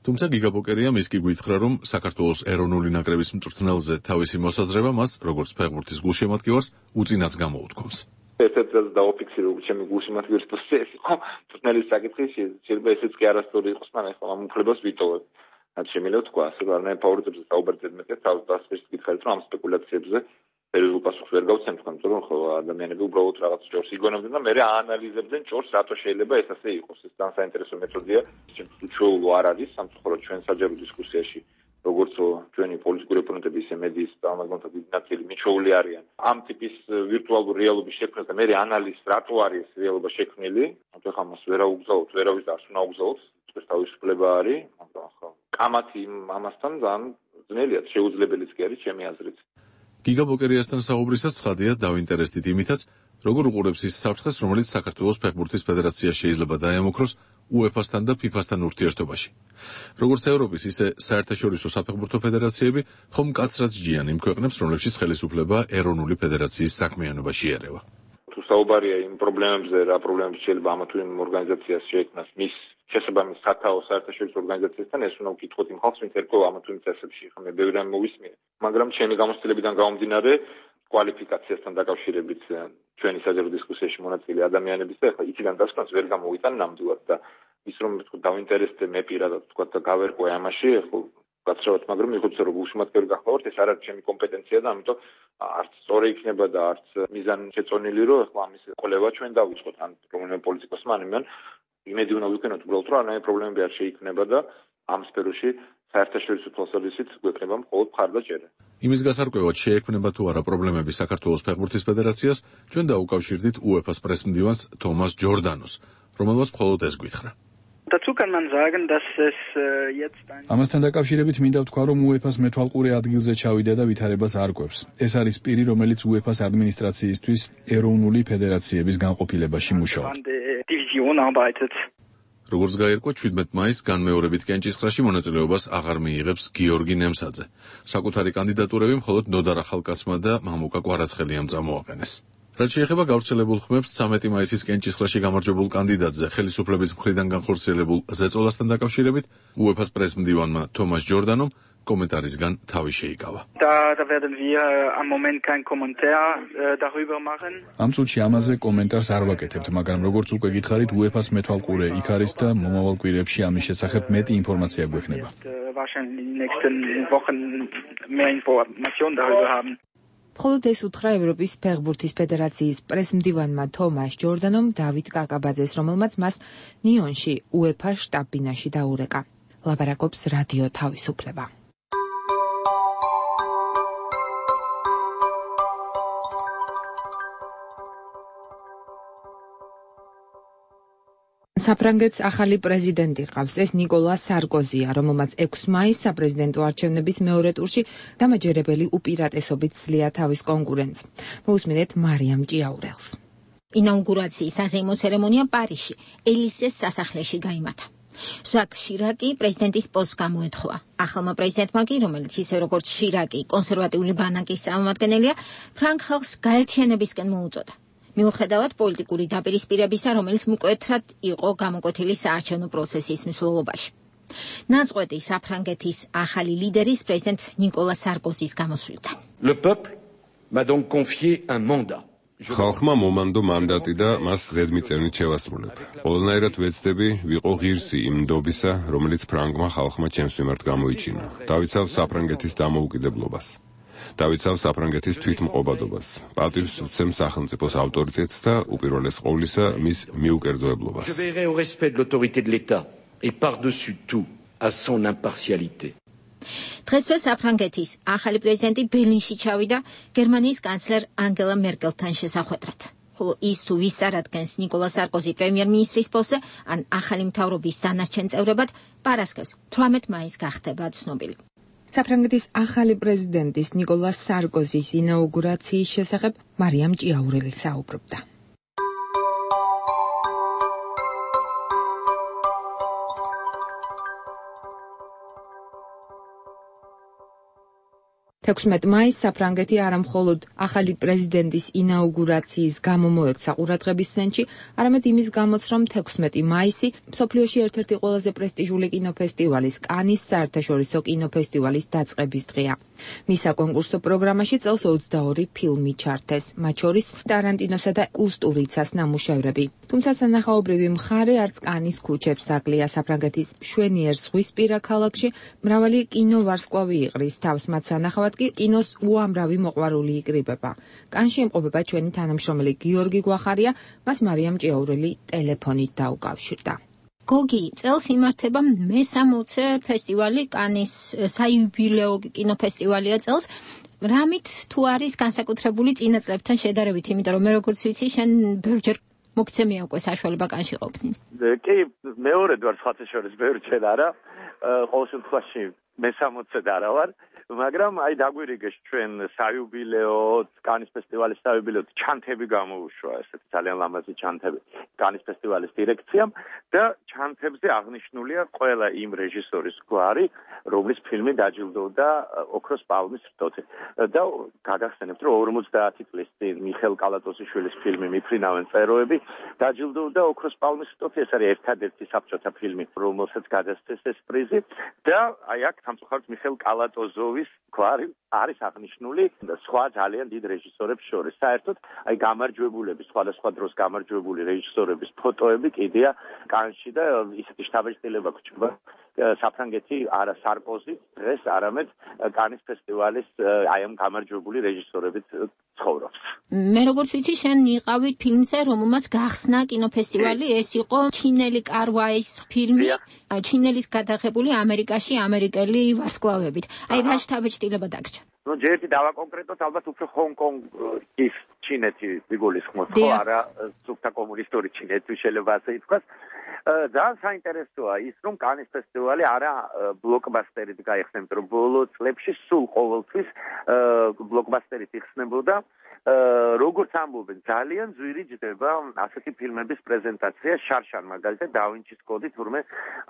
თუმცა გიგაბოკერია ის კი გითხრა რომ საქართველოს ეროვნული ნაკრების მწვრთნელზე თავისი მოსაზრება მას როგორც ფეხბურთის გულშემატკივარს უწინაც გამოუთქვამს ერთ-ერთ დაუფიქსირო ჩემი გულშემატკივრის პროცესი ხო მწვრთნელის საკითხი შეიძლება ესეც კი არასწორი იყოს მაგრამ ახლა ამ უფლებას ვიტოვებ რაც შემიძლია თქვა ასე რომ არანაირ ფავორიტებზე საუბარზე მეტი თავის დასწრებით გითხარით რომ ამ სპეკულაციებზე სერიოზულ პასუხს ვერ გავცემ თქვენ იმიტომ რომ ხო ადამიანები უბრალოდ რაღაც ჭორს იგონებდნენ და მე აანალიზებდნენ ჭორს რატო შეიძლება ეს ასე იყოს ეს ძალიან საინტერესო მეთოდია ჩემთვის უჩვეულო არ არის სამწუხაროდ ჩვენ საჯარო დისკუსიაში როგორც ჩვენი პოლიტიკური ოპონენტები ისე მედიის წარმომადგენლთა დიდი ნაწილი მიჩვეული არიან ამ ტიპის ვირტუალურ რეალობის შექმნას და მე ანალიზს რატო არის ეს რეალობა შექმნილი ამიტომ ხა მას ვერ აუგზავნოთ ვერავის და არც უნდა აუგზავნოთ ეს თავისუფლება არის მაგრამ ხო კამათი ამასთან ძალიან ძნელია შეუძლებელიც კი არის ჩემი აზრით გიგაბოკერიასთან საუბრისას ცხადია დავინტერესდით იმითაც როგორ უყურებს ის საფრთხეს რომელიც საქართველოს ფეხბურთის ფედერაცია შეიძლება დაემუქროს UEFA-სთან და FIFA-სთან ურთიერთობაში. როგორც ევროპის, ისე საერთაშორისო საფეხბურთო ფედერაციები ხომ მკაცრად ჯიან იმ ქვეყნებს, რომლებშიც ხელისუფლება ეროვნული ფედერაციის საქმიანობაში ერევა. თუ საუბარია იმ პრობლემებზე, რა პრობლემები შეიძლება ამა თუ იმ ორგანიზაციას შეექმნას მის შესაბამის სათაო საერთაშორისო ორგანიზაციასთან, ეს უნდა ვკითხოთ იმ ხალხს, ვინც ერქვა ამა თუ იმ წესებში. მე ბევრი რამ მოვისმინე, მაგრამ ჩემი გამოცდილებიდან გამომდინარე კვალიფიკაციასთან დაკავშირებით ჩვენი საჯარო დისკუსიაში მონაწილე ადამიანების და ახლა იქიდან დასკვნას ვერ გამოვიტან ნამდვილად და ის რომ თქვა დავინტერესდე მე პირადად თქვა და გავერკვე ამაში ხო გაცრავად მაგრამ მიხოცე რომ გულშემატკივარი გახლავართ ეს არ არის ჩემი კომპეტენცია და ამიტომ არც სწორი იქნება და არც მიზანი შეწონილი რომ ახლა ამის ყოლება ჩვენ დავიწყოთ ან რომელიმე პოლიტიკოსმა ან იმედი უნდა ვიქნოთ უბრალოდ რომ არანაირი პრობლემები არ შეიქმნება და ამ სფეროში საერთაშორისო თვალსაზრისით გვექნება მხოლოდ მხარდაჭერა. იმის გასარკვევად შეექმნება თუ არა პრობლემები საქართველოს ფეხბურთის ფედერაციას, ჩვენ დაუკავშირდით UEFA-ს პრესმდივანს თომას ჯორდანოს, რომელმაც მხოლოდ ეს გითხრა. ამასთან დაკავშირებით მინდა ვთქვა, რომ UEFA-ს მეთვალყურე ადგილზე ჩავიდა და ვითარებას არ კვევს. ეს არის პირი, რომელიც UEFA-ს ადმინისტრაციისთვის ეროვნული ფედერაციების განყოფილებაში მუშაობს. როგორც გაირკვა 17 მაისს განმეორებით კენჭისყრაში მონაწილეობას აღარ მიიღებს გიორგი ნემსაძე. საკუთარი კანდიდატურები მხოლოდ ნოდარ ახალკაცმა და მამუკა კვარაცხელიამ წამოაყენეს. რაც შეეხება გავრცელებულ ხმებს 13 მაისის კენჭისყრაში გამარჯვებულ კანდიდატზე ხელისუფლების მხრიდან განხორციელებულ ზეწოლასთან დაკავშირებით UEFA-ს პრესმდივანმა თომას ჯორდანომ კომენტარისგან თავი შეიკავა. ამ წუთში ამაზე კომენტარს არ ვაკეთებთ, მაგრამ როგორც უკვე გითხარით, UEFA-ს მეთვალყურე იქ არის და მომავალ კვირებში ამის შესახებ მეტი ინფორმაცია გვექნება. მხოლოდ ეს უთხრა ევროპის ფეხბურთის ფედერაციის პრესმდივანმა თომას ჯორდანომ დავით კაკაბაძეს, რომელმაც მას ნიონში UEFA-ს შტაბ-ბინაში დაურეკა. ლაბარაკობს რადიო თავისუფლება. საფრანგეთს ახალი პრეზიდენტი ყავს, ეს ნიკოლა სარკოზია, რომელმაც 6 მაისს საპრეზიდენტო არჩევნების მეორე ტურში დამაჯერებელი უპირატესობით ძლია თავის კონკურენტს. მოусმინეთ მარიამ ჭიაურელს. ინაუგურაციის საზეიმო ცერემონია პარიზში, ელისეს სასახლეში გაიმართა. ჟაკ შირაკი პრეზიდენტის პოსტს გამოეთხოვა. ახალმა პრეზიდენტმა კი, რომელიც ისე როგორც შირაკი, კონსერვატიული ბანაკის წარმომადგენელია, ფრანგ ხალხს გაერთიანებისკენ მოუწოდა. მიუხედავად პოლიტიკური დაპირისპირებისა, რომელიც მკვეთრად იყო გამოკვეთილი საარჩევნო პროცესის მსვლელობაში. ნაწყვეტი საფრანგეთის ახალი ლიდერის პრეზიდენტ ნიკოლა სარკოზის გამოსვლიდან. Le peuple m'a donc confié un mandat. ხალხმა მომანდო მანდატი და მას ზედმიწევნით შევასრულებ. ყველანაირად ვეცდები ვიყო ღირსი იმ ნდობისა, რომელიც ფრანგმა ხალხმა ჩემს მიმართ გამოიჩინა. დავიცავ საფრანგეთის დამოუკიდებლობას. დავიცავ საფრანგეთის თვითმყოფადობას. პატივს ვცემ სახელმწიფოს ავტორიტეტს და უპირველეს ყოვლისა მის მიუკერძოებლობას. Je veillerai au respect de l'autorité de l'État et par-dessus tout à son impartialité. დღესვე საფრანგეთის ახალი პრეზიდენტი ბერლინში ჩავიდა გერმანიის კანცლერ ანგელა მერკელთან შესახვედრად. ხოლო ის თუ ვის წარადგენს ნიკოლა სარკოზი პრემიერ-მინისტრის პოსტზე, ან ახალი მთავრობის დანარჩენ წევრებად, პარასკევს 18 მაისს გახდება ცნობილი. საფრანგეთის ახალი პრეზიდენტის ნიკოლა სარკოზის ინაუგურაციის შესახებ მარიამ ჭიაურელი საუბრობდა. მაისს საფრანგეთი არამხოლოდ ახალი პრეზიდენტის ინაუგურაციის გამო მოექცა ყურადღების ცენტრში, არამედ იმის გამოც, რომ 16 მაისი მსოფლიოში ერთ-ერთი ყველაზე პრესტიჟული კინოფესტივალის, კანის საერთაშორისო კინოფესტივალის დაწყების დღეა. მის საკონკურსო პროგრამაში წელს 22 ფილმი ჩართეს, მათ შორის ტარანტინოსა და კუსტურიცას ნამუშევრები. თუმცა სანახაობრივი მხარე არც კანის ქუჩებს აკლია. საფრანგეთის მშვენიერ ზღვისპირა ქალაქში მრავალი კინოვარსკვლავი იყრის თავს, მათ სანახავად კი კინოს უამრავი მოყვარული იკრიბება. კანში იმყოფება ჩვენი თანამშრომელი გიორგი გვახარია, მას მარიამ ჭიაურელი ტელეფონით დაუკავშირდა. გოგი, წელს იმართება მე-60 ფესტივალი, კანის საიუბილეო კინოფესტივალია წელს. რამით თუ არის განსაკუთრებული წინა წლებთან შედარებით, იმიტომ რომ მე როგორც ვიცი, შენ ბევრჯერ მოგცემია უკვე საშუალება კანში ყოფნის. კი, მეორედ ვარ სხვათა შორის, ბევრჯერ არა. ყოველ შემთხვევაში მე-60-ზე და არა ვარ. მაგრამ აი დაგვირიგეს ჩვენ საიუბილეო კანის ფესტივალის საიუბილეო ჩანთები გამოუშვა, ესეთი ძალიან ლამაზი ჩანთები კანის ფესტივალის დირექციამ და ჩანთებზე აღნიშნულია ყველა იმ რეჟისორის გვარი, რომლის ფილმი დაჯილდოვდა ოქროს პალმის რტოთი. და გაგახსენებთ, რომ 50 წლის წინ მიხეილ კალატოზიშვილის ფილმი მიფრინავენ წეროები დაჯილდოვდა ოქროს პალმის რტოთი. ეს არის ერთადერთი საბჭოთა ფილმი, რომელსაც გადასცეს ეს პრიზი და აი აქ სამწუხაროდ მიხეილ კალატოზოვის გვარი არის აღნიშნული და სხვა ძალიან დიდ რეჟისორებს შორის. საერთოდ აი გამარჯვებულების, სხვადასხვა დროს გამარჯვებული რეჟისორების ფოტოები კიდეა კანში და ისეთი შთაბეჭდილება გვჭირდება. საფრანგეთი არა სარკოზი დღეს არამედ კანის ფესტივალის აი ამ გამარჯვებული რეჟისორებით ცხოვრობს. მე როგორც ვიცი, შენ იყავი ფილმზე, რომელმაც გახსნა კინოფესტივალი, ეს იყო ჩინელი კარვაის ფილმი, ჩინელის გადაღებული ამერიკაში ამერიკელი ვარსკვლავებით. აი რა შთაბეჭდილება დაგჭირა? ნუ ჯერ ერთი დავაკონკრეტოთ, ალბათ უფრო ჰონკონგის ჩინეთი ვიგულისხმოთ, ხო არა სუფთა კომუნისტური ჩინეთი შეიძლება ასე ითქვას. ძალიან საინტერესოა ის, რომ კანის ფესტივალი არა ბლოკბასტერით გაიხსნა, რომ ბოლო წლებში სულ ყოველთვის ბლოკბასტერით იხსნებოდა. როგორც ამბობენ, ძალიან ძვირი ჯდება ასეთი ფილმების პრეზენტაცია. შარშან მაგალითად დავინჩის კოდი თურმე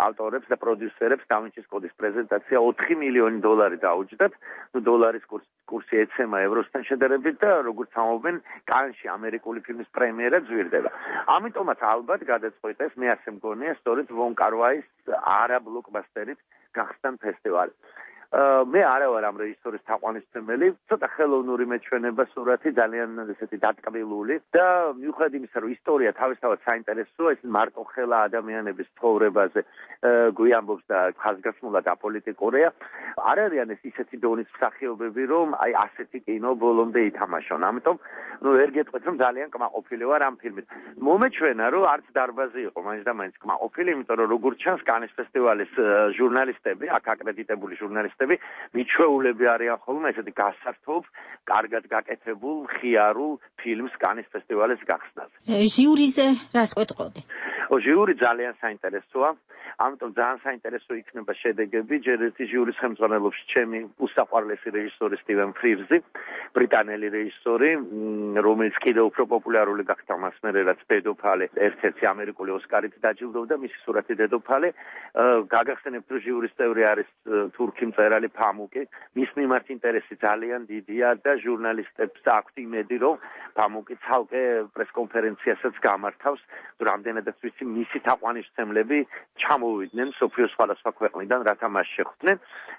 ავტორებს და პროდიუსერებს დავინჩის კოდის პრეზენტაცია 4 მილიონი დოლარი დაუჯდათ. ნუ დოლარის კურსი ეცემა ევროსთან შედარებით და როგორც ამბობენ, კანში ამერიკული ფილმის პრემიერა ძვირდება. ამიტომაც ალბათ გადაწყვეტეს, მე ასე მგონია, სწორედ ვონ კარვაის არა ბლოკბასტერით გახსნან ფესტივალი. მე არა ვარ ამ რეჟისორის თაყვანისმცემელი, ცოტა ხელოვნური მეჩვენება სურათი, ძალიან ესეთი დატკბილული და მიუხედავად იმისა, რომ ისტორია თავისთავად საინტერესოა, ეს მარტოხელა ადამიანების ცხოვრებაზე გვიამბობს და ხაზგასმულად აპოლიტიკურია. არ არიან ეს ისეთი დონის მსახიობები, რომ აი ასეთი კინო ბოლომდე ითამაშონ. ამიტომ ნუ ვერ გეტყვით, რომ ძალიან კმაყოფილი ვარ ამ ფილმით. მომეჩვენა, რომ არც დარბაზი იყო, მაინც და მაინც კმაყოფილი, იმიტომ რომ როგორც ჩანს, კანის ფესტივალის ჟურნალისტები, აქ აკრედიტებული ჟურნალისტები მიჩვეულები არიან ხოლმე ესეთი გასართობ, კარგად გაკეთებულ, ხიარულ ფილმს კანის ფესტივალის გახსნაზე. ჟიურიზე რას ყვეტყოდი? ჟიური ძალიან საინტერესოა, ამიტომ ძალიან საინტერესო იქნება შედეგები. ჯერ ერთი ჟიურის ხელმძღვანელობს ჩემი უსაყვარლესი რეჟისორი სტივენ ფრირზი, ბრიტანელი რეჟისორი, რომელიც კიდევ უფრო პოპულარული გახდა მას მერე, რაც დედოფალი ერთ-ერთი ამერიკული ოსკარით დაჯილდოვდა, მისი სურათი დედოფალი. გაგახსენებთ, რომ ჟიურის წევრი არის თურქი მწერალი ფამუკი. მის მიმართ ინტერესი ძალიან დიდია და ჟურნალისტებს აქვთ იმედი, რომ ფამუკი ცალკე პრესკონფერენციასაც გამართავს, რამდენადაც ვიცი, მისი თაყვანისმცემლები ჩამოვიდნენ მსოფლიოს სხვადასხვა ქვეყნიდან, რათა მას შეხვდნენ.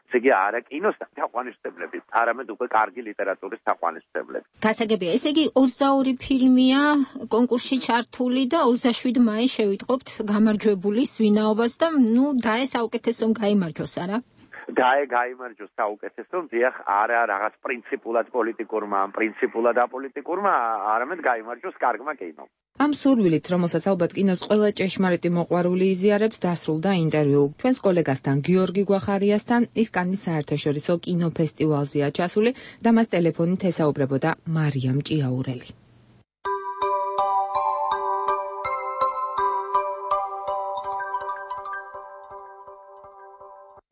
ესე იგი, არა კინოს თაყვანისმცემლები, არამედ უკვე კარგი ლიტერატურის თაყვანისმცემლები. გასაგებია, ესე იგი 22 ფილმია კონკურსში ჩართული და 27 მაისს შევიტყობთ გამარჯვებულის ვინაობას და დაე საუკეთესომ გაიმარჯვოს, არა? გაიმარჯვოს საუკეთესო, დიახ, არა რაღაც პრინციპულად პოლიტიკურმა, პრინციპულად აპოლიტიკურმა, არამედ გაიმარჯვოს კარგმა კინომ. ამ სურვილით, რომელსაც ალბათ კინოს ყველა ჭეშმარიტი მოყვარული იზიარებს, დასრულდა ინტერვიუ ჩვენს კოლეგასთან გიორგი გვახარიასთან. ის კანის საერთაშორისო კინოფესტივალზეა ჩასული და მას ტელეფონით ესაუბრებოდა მარიამ ჭიაურელი.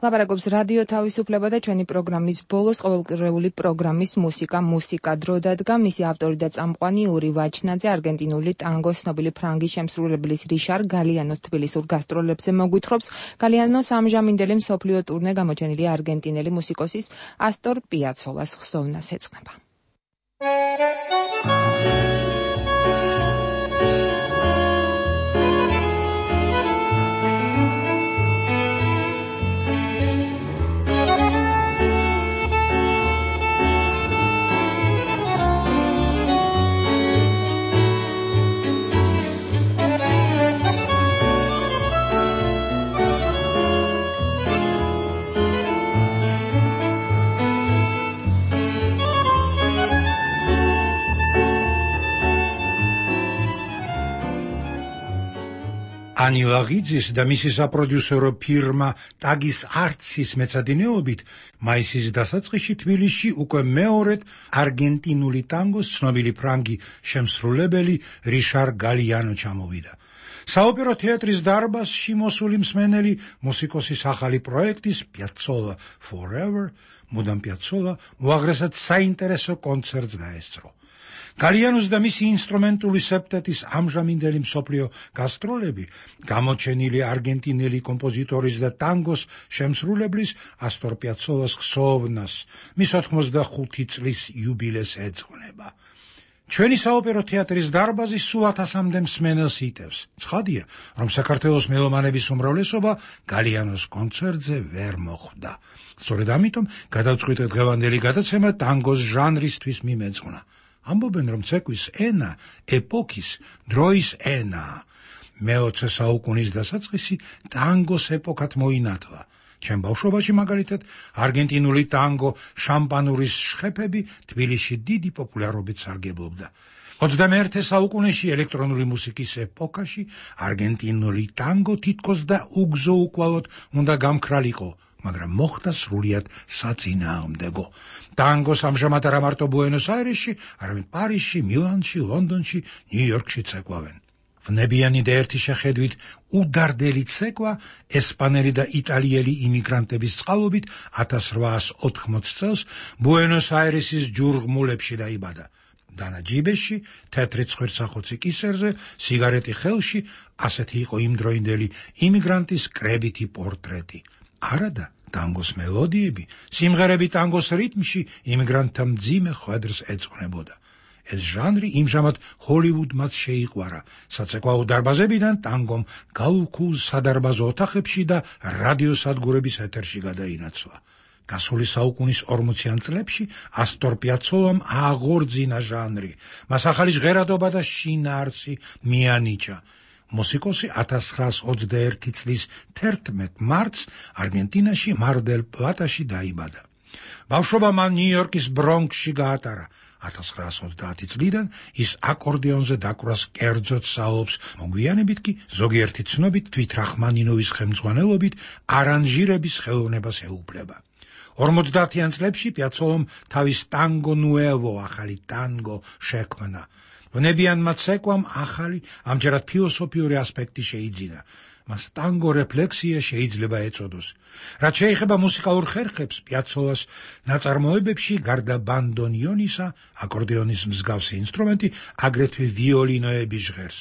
ლაპარაკობს რადიო თავისუფლება და ჩვენი პროგრამის ბოლოს ყოველკვირეული პროგრამის მუსიკა დრო დადგა. მისი ავტორი და წამყვანი ური ვაჩნაძე არგენტინული ტანგოს ცნობილი ფრანგი შემსრულებლის რიშარ გალიანოს თბილისურ გასტროლებზე მოგვითხრობს. გალიანოს ამჟამინდელი მსოფლიო ტურნე გამოჩენილი არგენტინელი მუსიკოსის ასტორ პიაცოლას ხსოვნას ეძღვნება. ანი ლაღიძის და მისი საპროდიუსერო ფირმა ტაგის არცის მეცადინეობით მაისის დასაწყისში თბილისში უკვე მეორედ არგენტინული ტანგოს ცნობილი ფრანგი შემსრულებელი რიშარ გალიანო ჩამოვიდა. საოპერო თეატრის დარბაზში მოსული მსმენელი მუსიკოსის ახალი პროექტის Piazzolla Forever, მუდამ Piazzolla, უაღრესად საინტერესო კონცერტს გაესწრო. გალიანოს და მისი ინსტრუმენტული სეპტეტის ამჟამინდელი მსოფლიო გასტროლები გამოჩენილი არგენტინელი კომპოზიტორის და ტანგოს შემსრულებლის ასტორ პიაცოლას ხსოვნას მის 85 წლის იუბილეს ეძღვნება. ჩვენი საოპერო თეატრის დარბაზი სულ 1000-მდე მსმენელს იტევს. ცხადია, რომ საქართველოს მელომანების უმრავლესობა გალიანოს კონცერტზე ვერ მოხვდა. სწორედ ამიტომ გადავწყვიტეთ დღევანდელი გადაცემა ტანგოს ჟანრისთვის მიმეძღვნა. ამბობენ, რომ ცეკვის ენა ეპოქის დროის ენაა. მე-20 საუკუნის დასაწყისი ტანგოს ეპოქად მოინათლა. ჩემ ბავშვობაში მაგალითად არგენტინული ტანგო შამპანურის შხეფები თბილისში დიდი პოპულარობით სარგებლობდა. 21 საუკუნეში ელექტრონული მუსიკის ეპოქაში არგენტინული ტანგო თითქოს და უგზო-უკვალოდ უნდა გამქრალიყო, მაგრამ მოხდა სრულიად საწინააღმდეგო. ტანგოს ამჟამად არა მარტო ბუენოს-აირესში, არამედ პარიზში, მილანში, ლონდონში, ნიუ-იორკში ცეკვავენ. ვნებიანი და ერთი შეხედვით უდარდელი ცეკვა ესპანელი და იტალიელი იმიგრანტების წყალობით 1880 წელს ბუენოს-აირესის ჯურღმულებში დაიბადა. დანა ჯიბეში, თეთრი ცხვირსახოცი კისერზე, სიგარეტი ხელში, ასეთი იყო იმდროინდელი იმიგრანტის კრებითი პორტრეტი. არადა ტანგოს მელოდიები, სიმღერები ტანგოს რიტმში იმიგრანტთა მძიმე ხვედრს ეძღვნებოდა. ეს ჟანრი იმჟამად ჰოლივუდმაც შეიყვარა. საცეკვაო დარბაზებიდან ტანგომ გაუქულ სადარბაზო ოთახებში და რადიოსადგურების ეთერში გადაინაცვლა. გასული საუკუნის 40-იან წლებში ასტორ პიაცოლამ აღორძინა ჟანრი. მას ახალი ჟღერადობა და შინაარსი მიანიჭა. მუსიკოსი 1921 წლის 11 მარტს არგენტინაში მარ-დელ-პლატაში დაიბადა. ბავშვობა მან ნიუ-იორკის ბრონქსში გაატარა. 1930 წლიდან ის აკორდეონზე დაკვრას კერძოდ საუბრობს, მოგვიანებით კი ზოგიერთი ცნობით თვით რახმანინოვის ხელმძღვანელობით არანჟირების ხელოვნებას ეუფლება. 50-იან წლებში პიაცოლამ თავის ტანგო ნუევო, ახალი ტანგო შექმნა. ვნებიანმა ცეკვამ ახალი, ამჯერად ფილოსოფიური ასპექტი შეიძინა. მას ტანგო რეფლექსია შეიძლება ეწოდოს. რაც შეეხება მუსიკალურ ხერხებს, პიაცოლას ნაწარმოებებში გარდა ბანდონიონისა, აკორდეონის მსგავსი ინსტრუმენტი, აგრეთვე ვიოლინოები ჟღერს.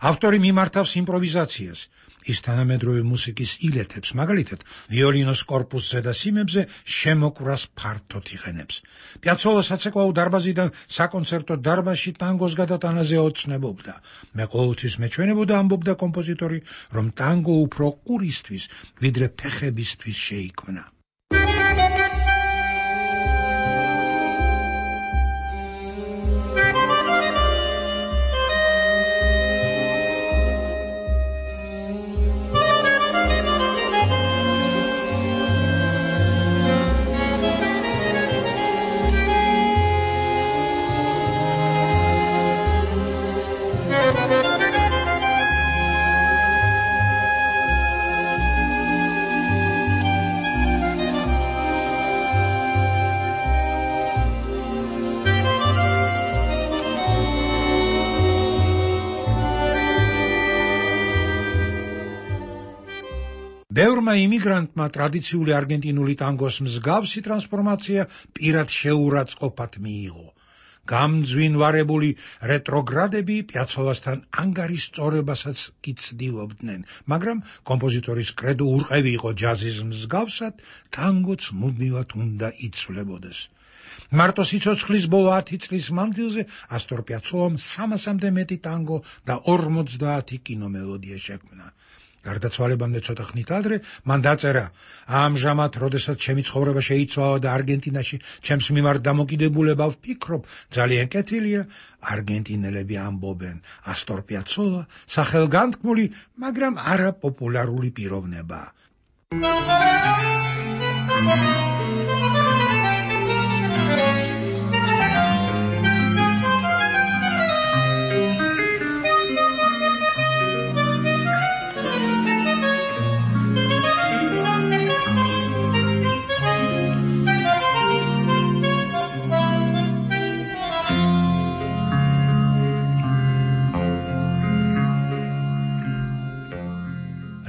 ავტორი მიმართავს იმპროვიზაციას. ის თანამედროვე მუსიკის ილეთებს, მაგალითად, ვიოლინოს კორპუსზე და სიმებზე შემოკვრას ფართოდ იყენებს. პიაცოლა საცეკვაო დარბაზიდან საკონცერტო დარბაზში ტანგოს გადატანაზე ოცნებობდა. მე ყოველთვის მეჩვენებოდა, ამბობდა კომპოზიტორი, რომ ტანგო უფრო ყურისთვის, ვიდრე ფეხებისთვის შეიქმნა. ბევრმა იმიგრანტმა ტრადიციული არგენტინული ტანგოს მსგავსი ტრანსფორმაცია პირად შეურაცხყოფად მიიღო. გამძვინვარებული რეტროგრადები პიაცოლასთან ანგარის სწორებასაც კი ცდილობდნენ, მაგრამ კომპოზიტორის კრედო ურყევი იყო ჯაზის მსგავსად, ტანგოც მუდმივად უნდა იცვლებოდეს. მარტო სიცოცხლის ბოლო 10 წლის მანძილზე ასტორ პიაცოლამ 300-მდე მეტი ტანგო და 50 კინომელოდია შექმნა. გარდაცვალებამდე ცოტა ხნით ადრე მან დაწერა: ამჟამად, როდესაც ჩემი ცხოვრება შეიცვალა და არგენტინაში ჩემს მიმართ დამოკიდებულება ვფიქრობ, ძალიან კეთილია, არგენტინელები ამბობენ, ასტორ პიაცოლა სახელგანთქმული, მაგრამ არაპოპულარული პიროვნებაა.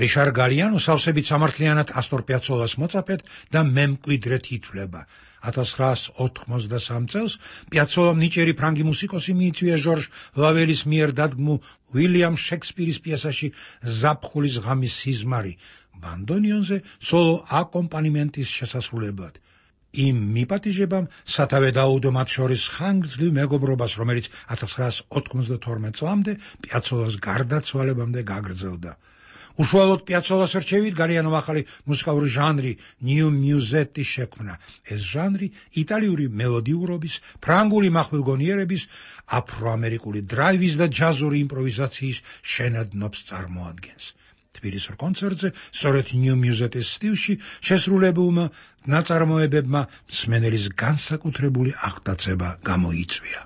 რიშარ გალიანო სავსებით სამართლიანად ასტორ პიაცოლას მოწაფედ და მემკვიდრედ ითვლება. 1983 წელს პიაცოლამ ნიჭიერი ფრანგი მუსიკოსი მიიწვია ჟორჟ ლაველის მიერ დადგმულ უილიამ შექსპირის პიესაში ზაფხულის ღამის სიზმარი, ბანდონიონზე სოლო აკომპანიმენტის შესასრულებლად. იმ მიპატიჟებამ სათავე დაუდო მათ შორის ხანგრძლივ მეგობრობას, რომელიც 1992 წლამდე პიაცოლას გარდაცვალებამდე გაგრძელდა. უშუალოდ პიაცოლას რჩევით გალიანომ ახალი მუსიკალური ჟანრი ნიუ მიუზეტი შექმნა. ეს ჟანრი იტალიური მელოდიურობის, ფრანგული მახვილგონიერების, აფროამერიკული დრაივის და ჯაზური იმპროვიზაციის შენადნობს წარმოადგენს. თბილისის კონცერტზე სწორედ ნიუ მიუზეტის სტილში შესრულებულმა ნაწარმოებებმა მსმენელის განსაკუთრებული აღტაცება გამოიწვია.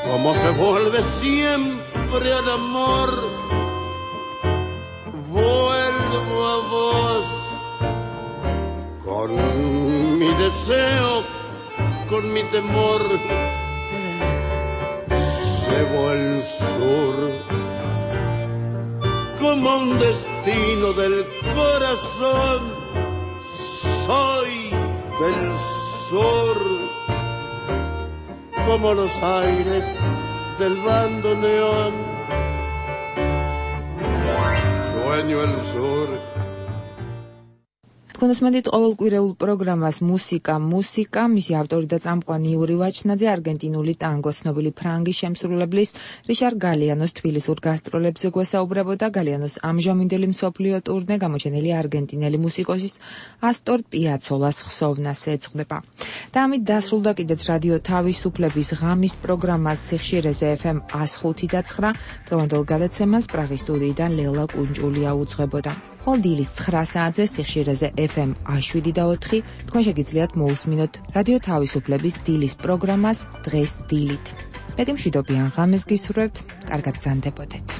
Como se vuelve siempre al amor, vuelvo a vos con mi deseo, con mi temor. Llevo el sur como un destino del corazón, soy del sur. Como los aires del bandoneón, sueño el sur. თქვენოსმენდით ყოველკვირეულ პროგრამას მუსიკა, მისი ავტორი და წამყვანი იური ვაჩნაძე არგენტინული ტანგოს ცნობილი ფრანგი შემსრულებლის რიშარ გალიანოს თბილისურ გასტროლებზე გვესაუბრებოდა. გალიანოს ამჟამინდელი მსოფლიო ტურნე გამოჩენილი არგენტინელი მუსიკოსის ასტორ პიაცოლას ხსოვნას ეძღვნება. და ამით დასრულდა კიდეც რადიო თავისუფლების ღამის პროგრამას სიხშირეზე FM 105.9. დღევანდელ გადაცემას პრაღის სტუდიიდან ლელა კუნჭულია უძღვებოდა. ხოლ დილის 9 საათზე სიხშირეზე FM 107.4 თქვენ შეგიძლიათ მოусმინოთ რადიო თავისუფლების დილის პროგრამას დღეს დილით. მე კი მშვიდობიან ღამეს გისურვებთ, კარგად გზანდებოდეთ.